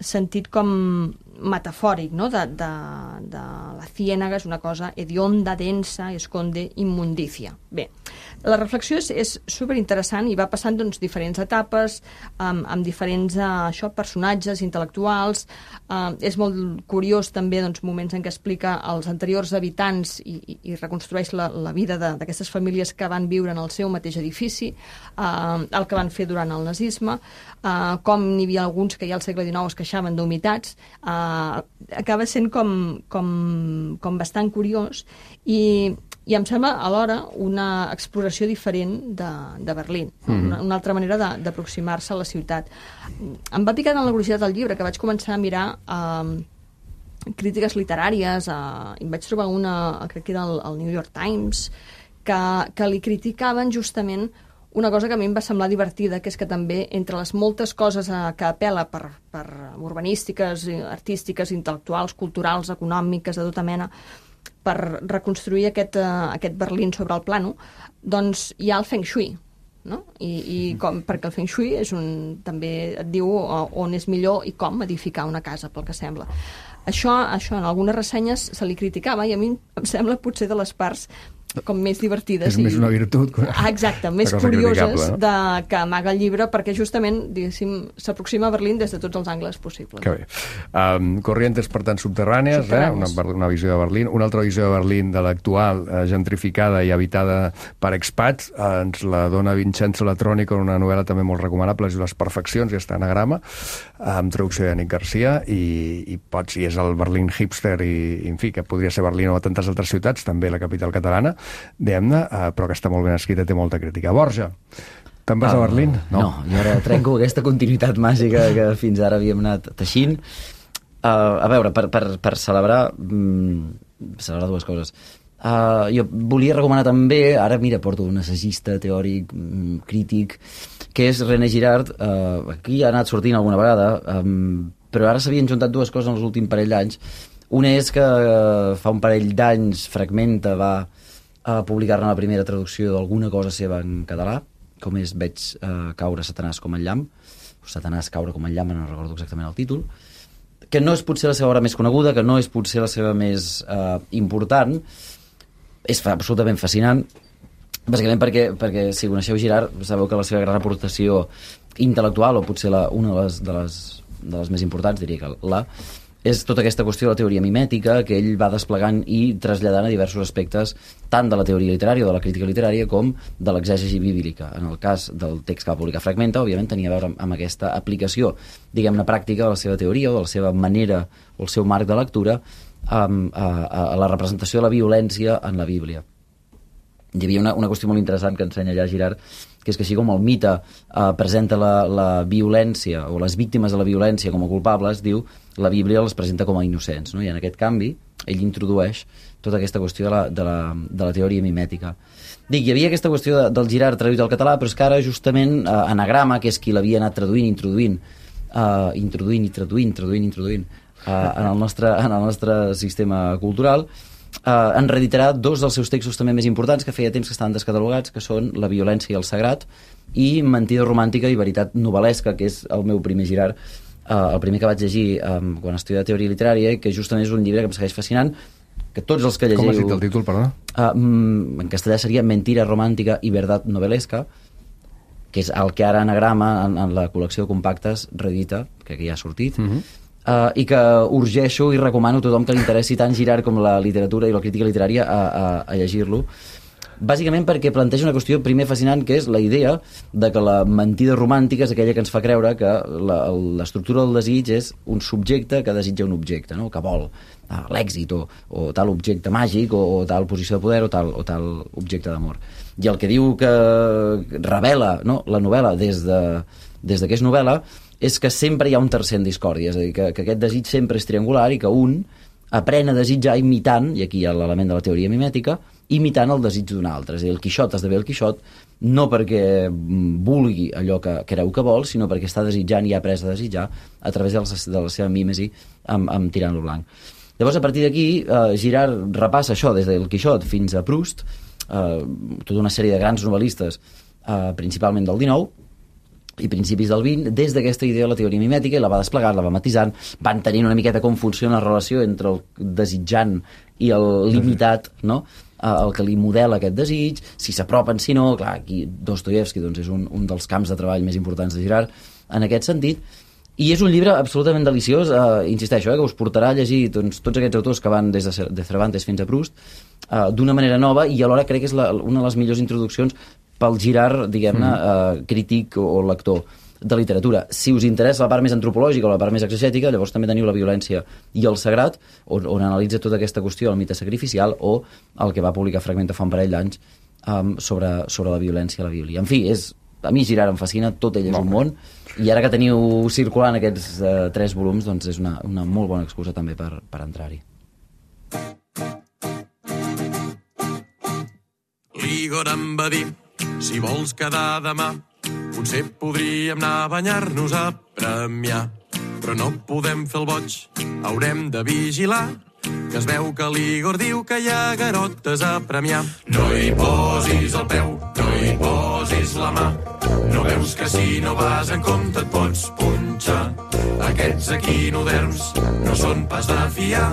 sentit com metafòric, no? de la ciénaga és una cosa hedionda, densa, esconde immundicia. Bé, la reflexió és superinteressant i va passant doncs, diferents etapes amb diferents personatges intel·lectuals. És molt curiós també doncs, moments en què explica els anteriors habitants i reconstrueix la vida d'aquestes famílies que van viure en el seu mateix edifici, el que van fer durant el nazisme, com n'hi havia alguns que ja al segle XIX es queixaven d'humitats. Acaba sent com bastant curiós i em sembla alhora una exploració diferent de Berlín, una altra manera d'aproximar-se a la ciutat. Em va picar tant la curiositat del llibre que vaig començar a mirar crítiques literàries, i vaig trobar una, crec que era el New York Times, que li criticaven justament una cosa que a mi em va semblar divertida, que és que també entre les moltes coses que apel·la per urbanístiques, artístiques, intel·lectuals, culturals, econòmiques, de tota mena, per reconstruir aquest Berlín sobre el plano, doncs hi ha el Feng Shui, no? Perquè el Feng Shui també et diu on és millor i com edificar una casa, pel que sembla. Això en algunes ressenyes se li criticava i a mi em sembla potser de les parts com més divertides. És més una virtut. Exacte, més curioses que amaga el llibre, perquè justament, diguéssim, s'aproxima a Berlín des de tots els angles possibles. Que bé. Corrientes, per tant, subterrànies, una visió de Berlín. Una altra visió de Berlín de l'actual, gentrificada i habitada per expats, ens la dona Vincenzo Latronico en una novel·la també molt recomanable, és Les perfeccions, i està anagrama, amb traducció de Nick Garcia, i és el Berlín hipster, i en fi, que podria ser Berlín o tantes altres ciutats, també la capital catalana, diguem-ne, però que està molt ben escrita, té molta crítica. Borja, te'n vas a Berlín? No, jo ara trenco aquesta continuïtat màgica que fins ara havíem anat teixint. A veure, per celebrar dues coses. Jo volia recomanar també, ara mira, porto un assagista, teòric, crític, que és René Girard. Aquí ha anat sortint alguna vegada, però ara s'havien juntat dues coses en els últims parell d'anys. Una és que fa un parell d'anys Fragmenta va a publicar-ne la primera traducció d'alguna cosa seva en català, com és Veig caure Satanàs com el llamp, o Satanàs caure com el llamp, no recordo exactament el títol, que no és potser la seva obra més coneguda, que no és potser la seva més important, és absolutament fascinant, bàsicament perquè si coneixeu Girard, sabeu que la seva gran aportació intel·lectual, o potser una de les més importants, diria que és tota aquesta qüestió de la teoria mimètica que ell va desplegant i traslladant a diversos aspectes tant de la teoria literària o de la crítica literària com de l'exègesi bíblica. En el cas del text que va publicar Fragmenta, òbviament tenia a veure amb aquesta aplicació, diguem-ne, pràctica de la seva teoria o de la seva manera o el seu marc de lectura a la representació de la violència en la Bíblia. hi havia una qüestió molt interessant que ensenya allà Girard, que és que així com el mite presenta la violència o les víctimes de la violència com a culpables, diu, la Bíblia les presenta com a innocents, no? I en aquest canvi ell introdueix tota aquesta qüestió de la teoria mimètica. Dic, hi havia aquesta qüestió del Girard traduït al català, però és que ara justament Anagrama, que és qui l'havia anat introduint en el nostre sistema cultural, en reeditarà dos dels seus textos també més importants que feia temps que estaven descatalogats, que són La violència i el sagrat i Mentida romàntica i veritat novel·lesca, que és el meu primer Girard, el primer que vaig llegir quan estudiava teoria literària, i que justament és un llibre que em segueix fascinant, que tots els que llegiu... Com has dit el títol, perdó? En castellà seria Mentira romàntica i verdad novel·lesca, que és el que ara Anagrama en la col·lecció de compactes reedita, que ja ha sortit, i que urgeixo i recomano a tothom que li interessi tant Girard com la literatura i la crítica literària a llegir-lo, bàsicament perquè planteja una qüestió primer fascinant, que és la idea de que la mentida romàntica és aquella que ens fa creure que l'estructura del desig és un subjecte que desitja un objecte, no? Que vol l'èxit o tal objecte màgic o tal posició de poder o tal objecte d'amor. I el que diu que revela, no, la novel·la des de que és novel·la és que sempre hi ha un tercer en discòrdia, és a dir, que aquest desig sempre és triangular i que un aprèn a desitjar imitant, i aquí hi ha l'element de la teoria mimètica, imitant el desig d'un altre. És a dir, el Quixot esdevé el Quixot no perquè vulgui allò que creu que vol, sinó perquè està desitjant i ha après a desitjar a través de la seva mímesi amb Tirant-lo blanc. Llavors, a partir d'aquí, Girard repassa això des del Quixot fins a Proust, tota una sèrie de grans novel·listes, principalment del XIX, i principis del XX, des d'aquesta idea de la teoria mimètica, i la va desplegant, la va matisant, van tenint una miqueta com funciona la relació entre el desitjant i l'imitat, no? El que li modela aquest desig, si s'apropen, si no, clar, aquí Dostoievski doncs, és un dels camps de treball més importants de Girard en aquest sentit, i és un llibre absolutament deliciós, insisteixo, que us portarà a llegir doncs, tots aquests autors que van des de Cervantes fins a Proust d'una manera nova, i alhora crec que és una de les millors introduccions pel Girard, diguem-ne, crític o lector de literatura. Si us interessa la part més antropològica o la part més exegètica, llavors també teniu La violència i el sagrat, on analitza tota aquesta qüestió del mite sacrificial, o el que va publicar Fragmenta fa un parell d'anys sobre la violència a la Bíblia. En fi, a mi Girard em fascina, tot ell és un món, i ara que teniu circulant aquests 3 volums, doncs és una molt bona excusa també per entrar-hi. L'Igor em va dir: si vols quedar demà, potser podríem anar a banyar-nos a Premià. Però no podem fer el boig, haurem de vigilar, que es veu que l'Igor diu que hi ha garotes a Premià. No hi posis el peu, no hi posis la mà, no veus que si no vas en compte et pots punxar. Aquests equinoderms no són pas de fiar,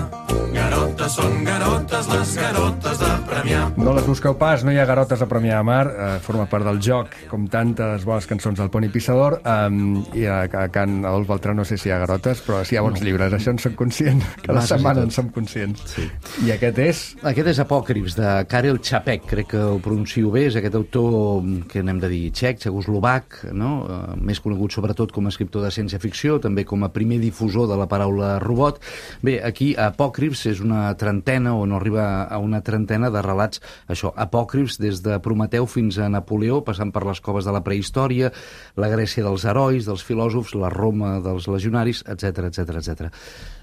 garotes són garotes, les garotes de Premià. No les busqueu pas, no hi ha garotes a Premià de Mar, forma part del joc, com tantes bones cançons del Poni Pissador, i a Can Adolf Beltrán no sé si hi ha garotes, però sí hi ha bons llibres, això en soc conscient, cada setmana en som conscients. Sí. I aquest és? Aquest és Apòcrifs, de Karel Čapek, crec que ho pronuncio bé, és aquest autor que n'hem de dir txec, txecoslovac, no? Més conegut sobretot com a escriptor de ciència-ficció, també com a primer difusor de la paraula robot. Bé, aquí Apòcrifs és una trentena, o no arriba a una trentena de relats, això, apòcrifs des de Prometeu fins a Napoleó, passant per les coves de la prehistòria, la Grècia dels herois, dels filòsofs, la Roma dels legionaris, etc etc etc.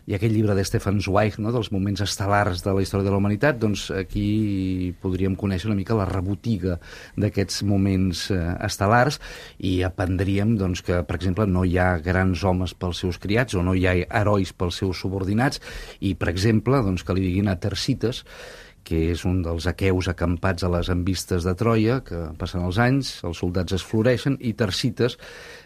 I aquell llibre de Stefan Zweig, no?, dels moments estel·lars de la història de la humanitat, doncs aquí podríem conèixer una mica la rebotiga d'aquests moments estel·lars, i aprendríem doncs, que, per exemple, no hi ha grans homes pels seus criats, o no hi ha herois pels seus subordinats, i, per exemple, doncs, que li diguin a Tercites, que és un dels aqueus acampats a les envistes de Troia, que passen els anys, els soldats es floreixen, i Tercites,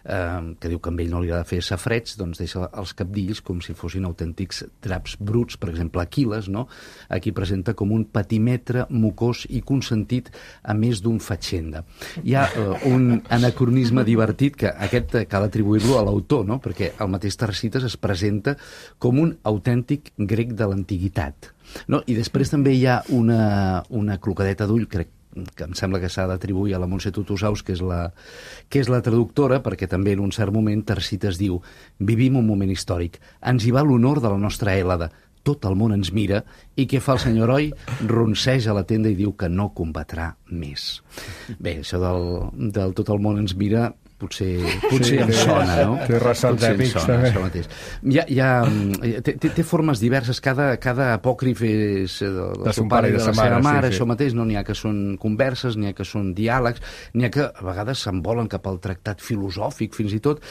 que diu que amb ell no li ha de fer safrets, doncs deixa els cabdills com si fossin autèntics draps bruts. Per exemple, Aquil·les, no?, aquí presenta com un patimetre mocós i consentit a més d'un fatxenda. Hi ha un anacronisme divertit, que aquest cal atribuir-lo a l'autor, no?, perquè el mateix Tercites es presenta com un autèntic grec de l'antiguitat. No? I després també hi ha una clocadeta d'ull, crec que em sembla que s'ha d'atribuir a la Montse Tutusaus, que és la traductora, perquè també en un cert moment Tercites diu: vivim un moment històric, ens hi va l'honor de la nostra Hèlade, tot el món ens mira, i què fa el senyor heroi? Ronseja la tenda i diu que no combatrà més. Bé, això del tot el món ens mira potser em sona, no? Té ressons èpics, també. Té formes diverses, cada apòcrif és del seu pare i de la seva mare, això mateix, no? N'hi ha que són converses, n'hi ha que són diàlegs, n'hi ha que a vegades s'envolen cap al tractat filosòfic, fins i tot.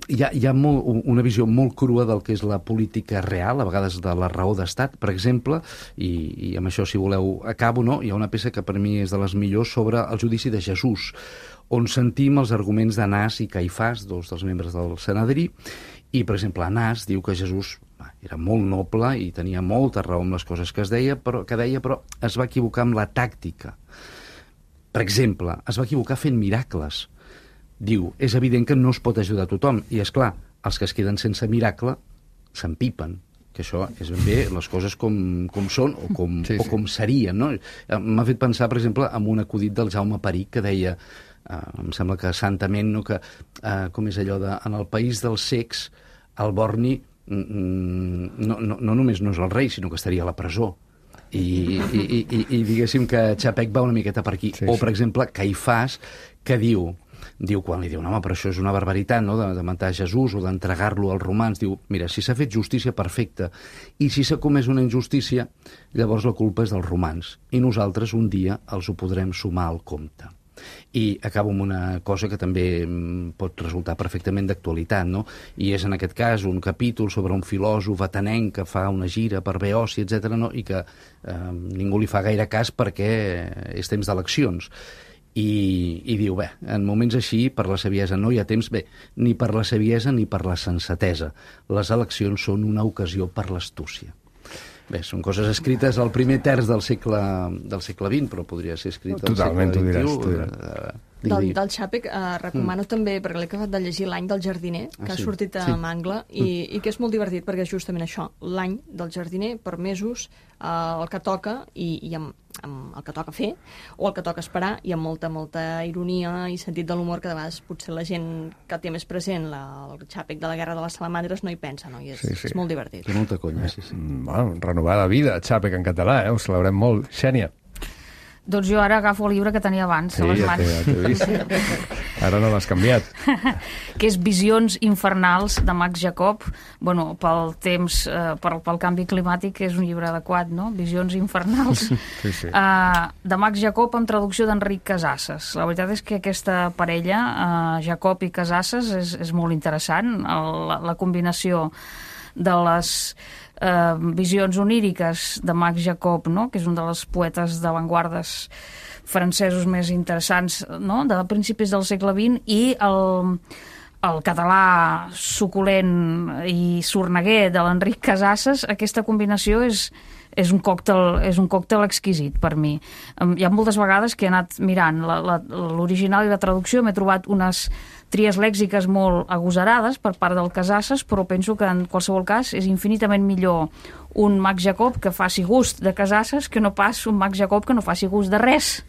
Hi ha una visió molt crua del que és la política real, a vegades de la raó d'estat, per exemple, i amb això, si voleu, acabo, no? Hi ha una peça que per mi és de les millors sobre el judici de Jesús, on sentim els arguments d'Anàs i Caifàs, dos dels membres del Sanedrí, i, per exemple, Anàs diu que Jesús era molt noble i tenia molta raó amb les coses que deia, però es va equivocar amb la tàctica. Per exemple, es va equivocar fent miracles. Diu, és evident que no es pot ajudar a tothom, i, és clar, els que es queden sense miracle s'empipen, que això és ben bé les coses com són o com serien, no? M'ha fet pensar, per exemple, en un acudit del Jaume Peric que deia, em sembla que santament, no, que com és allò de en el país dels cecs el borni no només no és el rei, sinó que estaria a la presó. I diguéssim que Chapek va una miqueta per aquí. O, per exemple, Caifàs, que diu, quan li diuen, home, però això és una barbaritat, no?, de matar Jesús o d'entregar-lo als romans, diu, mira, si s'ha fet justícia, perfecta, i si s'ha comès una injustícia, llavors la culpa és dels romans, i nosaltres un dia els ho podrem sumar al compte. I acabo amb una cosa que també pot resultar perfectament d'actualitat, no? I és en aquest cas un capítol sobre un filòsof atenenc que fa una gira per Beoci, etc., no? I que ningú li fa gaire cas perquè és temps d'eleccions. I diu, bé, en moments així, per la saviesa no hi ha temps, bé, ni per la saviesa ni per la sensatesa. Les eleccions són una ocasió per l'astúcia. Bé, són coses escrites al primer terç del segle XX, però podria ser escrit al segle XXI. Del Chapek recomano també, perquè l'he acabat de llegir, L'any del jardiner, que ha sortit a Mangle, i que és molt divertit perquè és justament això, l'any del jardiner, per mesos, el que toca, i amb el que toca fer, o el que toca esperar, i amb molta ironia i sentit de l'humor, que de vegades potser la gent que té més present el Chapek de la Guerra de les Salamandres no hi pensa, no? I és molt divertit. Té molta conya, sí. Bueno, renovar la vida, Chapek en català, ho celebrem molt. Xènia. Doncs jo ara agafo el llibre que tenia abans a les mans. Ja t'he vist. Ara no l'has canviat. Que és Visions infernals, de Max Jacob. Bueno, pel temps, pel canvi climàtic, és un llibre adequat, no? Visions infernals. Sí. De Max Jacob, amb traducció d'Enric Casasses. La veritat és que aquesta parella, Jacob i Casasses, és molt interessant. La combinació de les visions oníriques de Max Jacob, no?, que és un dels poetes d'avantguardes francesos més interessants, no?, de principis del segle XX, i el català suculent i sorneguer de l'Enric Casasses. Aquesta combinació és un còctel exquisit per mi. Hi ha moltes vegades que he anat mirant l'original i la traducció, m'he trobat unes tries lèxiques molt agosarades per part del Casasses, però penso que en qualsevol cas és infinitament millor un Max Jacob que faci gust de Casasses que no pas un Max Jacob que no faci gust de res.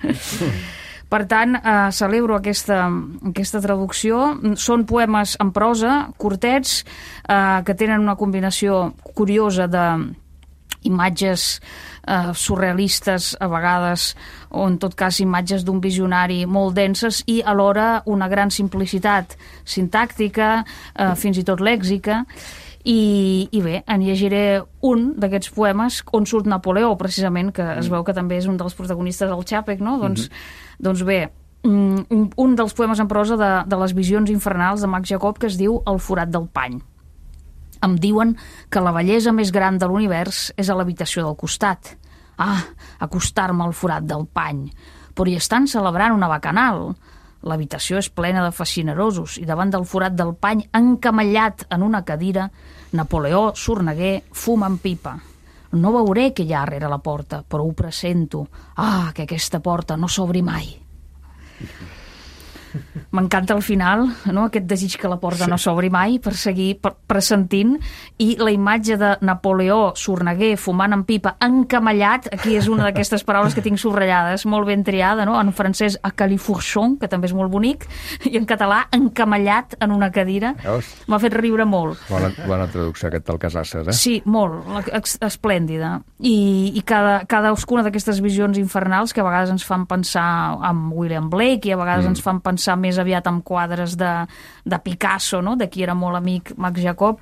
Per tant, celebro aquesta traducció. Són poemes en prosa, curtets, que tenen una combinació curiosa d'imatges surrealistes a vegades, o en tot cas imatges d'un visionari molt denses, i alhora una gran simplicitat sintàctica, fins i tot lèxica. I bé, en llegiré un d'aquests poemes on surt Napoleó, precisament, que es veu que també és un dels protagonistes del Chapek, no? Doncs bé, un dels poemes en prosa de les visions infernals de Max Jacob, que es diu El forat del pany. Em diuen que la bellesa més gran de l'univers és a l'habitació del costat. Acostar-me al forat del pany. Però hi estan celebrant una bacanal. L'habitació és plena de fascinerosos i davant del forat del pany, encamellat en una cadira, Napoleó sorneguer fuma en pipa. No veuré què hi ha rere la porta, però ho pressento. Que aquesta porta no s'obri mai. M'encanta al final, no? Aquest desig que la porta no s'obri mai, per seguir pressentint, i la imatge de Napoleó sorneguer, fumant en pipa, encamellat, aquí és una d'aquestes paraules que tinc subratllades, molt ben triada, no? En francès, a califourchon, que també és molt bonic, i en català, encamellat en una cadira. M'ha fet riure molt. Bona traducció, aquest del Casasses, eh? Sí, molt, esplèndida. I cadascuna d'aquestes visions infernals que a vegades ens fan pensar en William Blake i a vegades ens fan pensar més aviat en quadres de Picasso, no? De qui era molt amic Max Jacob,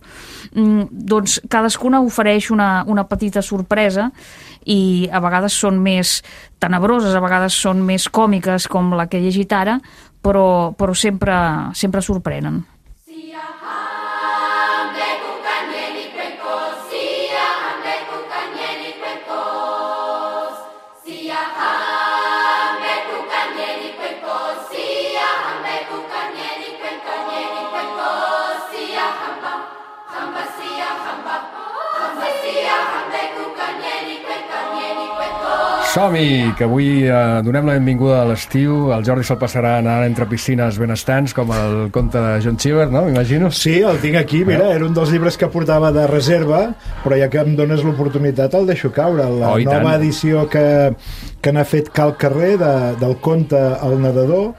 doncs cadascuna ofereix una petita sorpresa i a vegades són més tenebroses, a vegades són més còmiques com la que he llegit ara, però sempre sorprenen. Som-hi, que avui donem la benvinguda a l'estiu. El Jordi se'l passarà anant entre piscines benestants, com el conte de John Cheever, no? M'imagino. Sí, el tinc aquí, mira, era un dels llibres que portava de reserva, però ja que em dones l'oportunitat el deixo caure. La nova edició que n'ha fet Cal Carrer del conte El nedador,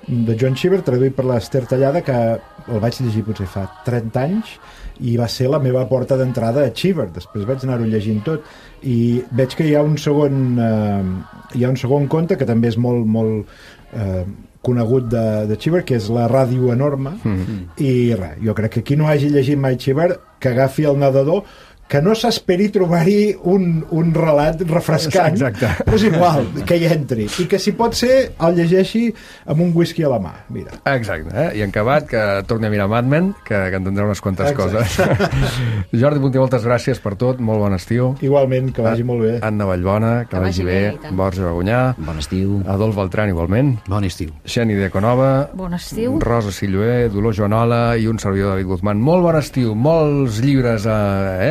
de John Cheever, traduït per l'Ester Tallada, que el vaig llegir potser fa 30 anys, i va ser la meva porta d'entrada a Cheever. Després vaig anar-ho llegint tot i veig que hi ha un segon conte que també és molt conegut de Cheever, que és La ràdio enorme, i res, jo crec que qui no hagi llegit mai Cheever, que agafi El nedador, que no s'esperi trobar-hi un relat refrescant, però és igual, que hi entri, i que si pot ser el llegeixi amb un whisky a la mà, mira. Exacte, i en acabat que torni a mirar Mad Men, que entendrà unes quantes coses. Jordi Puntí, moltes gràcies per tot, molt bon estiu. Igualment, que vagi molt bé. Anna Vallbona, que vagi bé. Borja Bagonyà. Bon estiu. Adolf Beltrán, igualment. Bon estiu. Xeni Deconova. Bon estiu. Rosa Silloé, Dolors Joanola i un servidor David Guzmán. Molt bon estiu, molts llibres a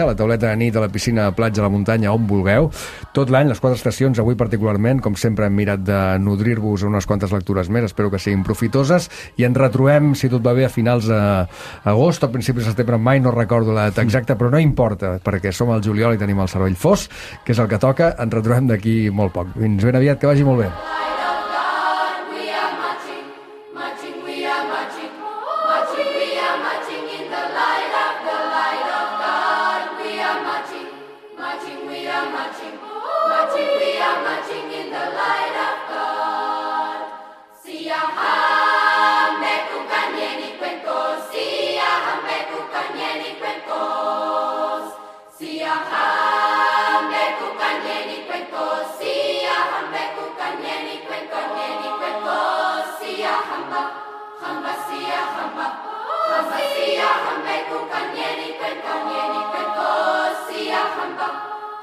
la tauleta de nit, a la piscina, a la platja, a la muntanya, on vulgueu. Tot l'any, les 4 estacions, avui particularment, com sempre hem mirat de nodrir-vos unes quantes lectures més, espero que siguin profitoses, i ens retrobem, si tot va bé, a finals d'agost o principis de setembre, mai no recordo la data exacta, però no importa, perquè som al juliol i tenim el cervell fos, que és el que toca, ens retrobem d'aquí molt poc. Fins ben aviat, que vagi molt bé.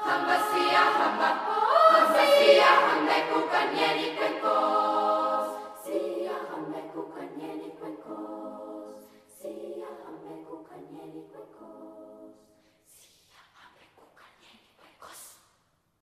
Hamba sia hamba, hamba sia hamba kukanyeni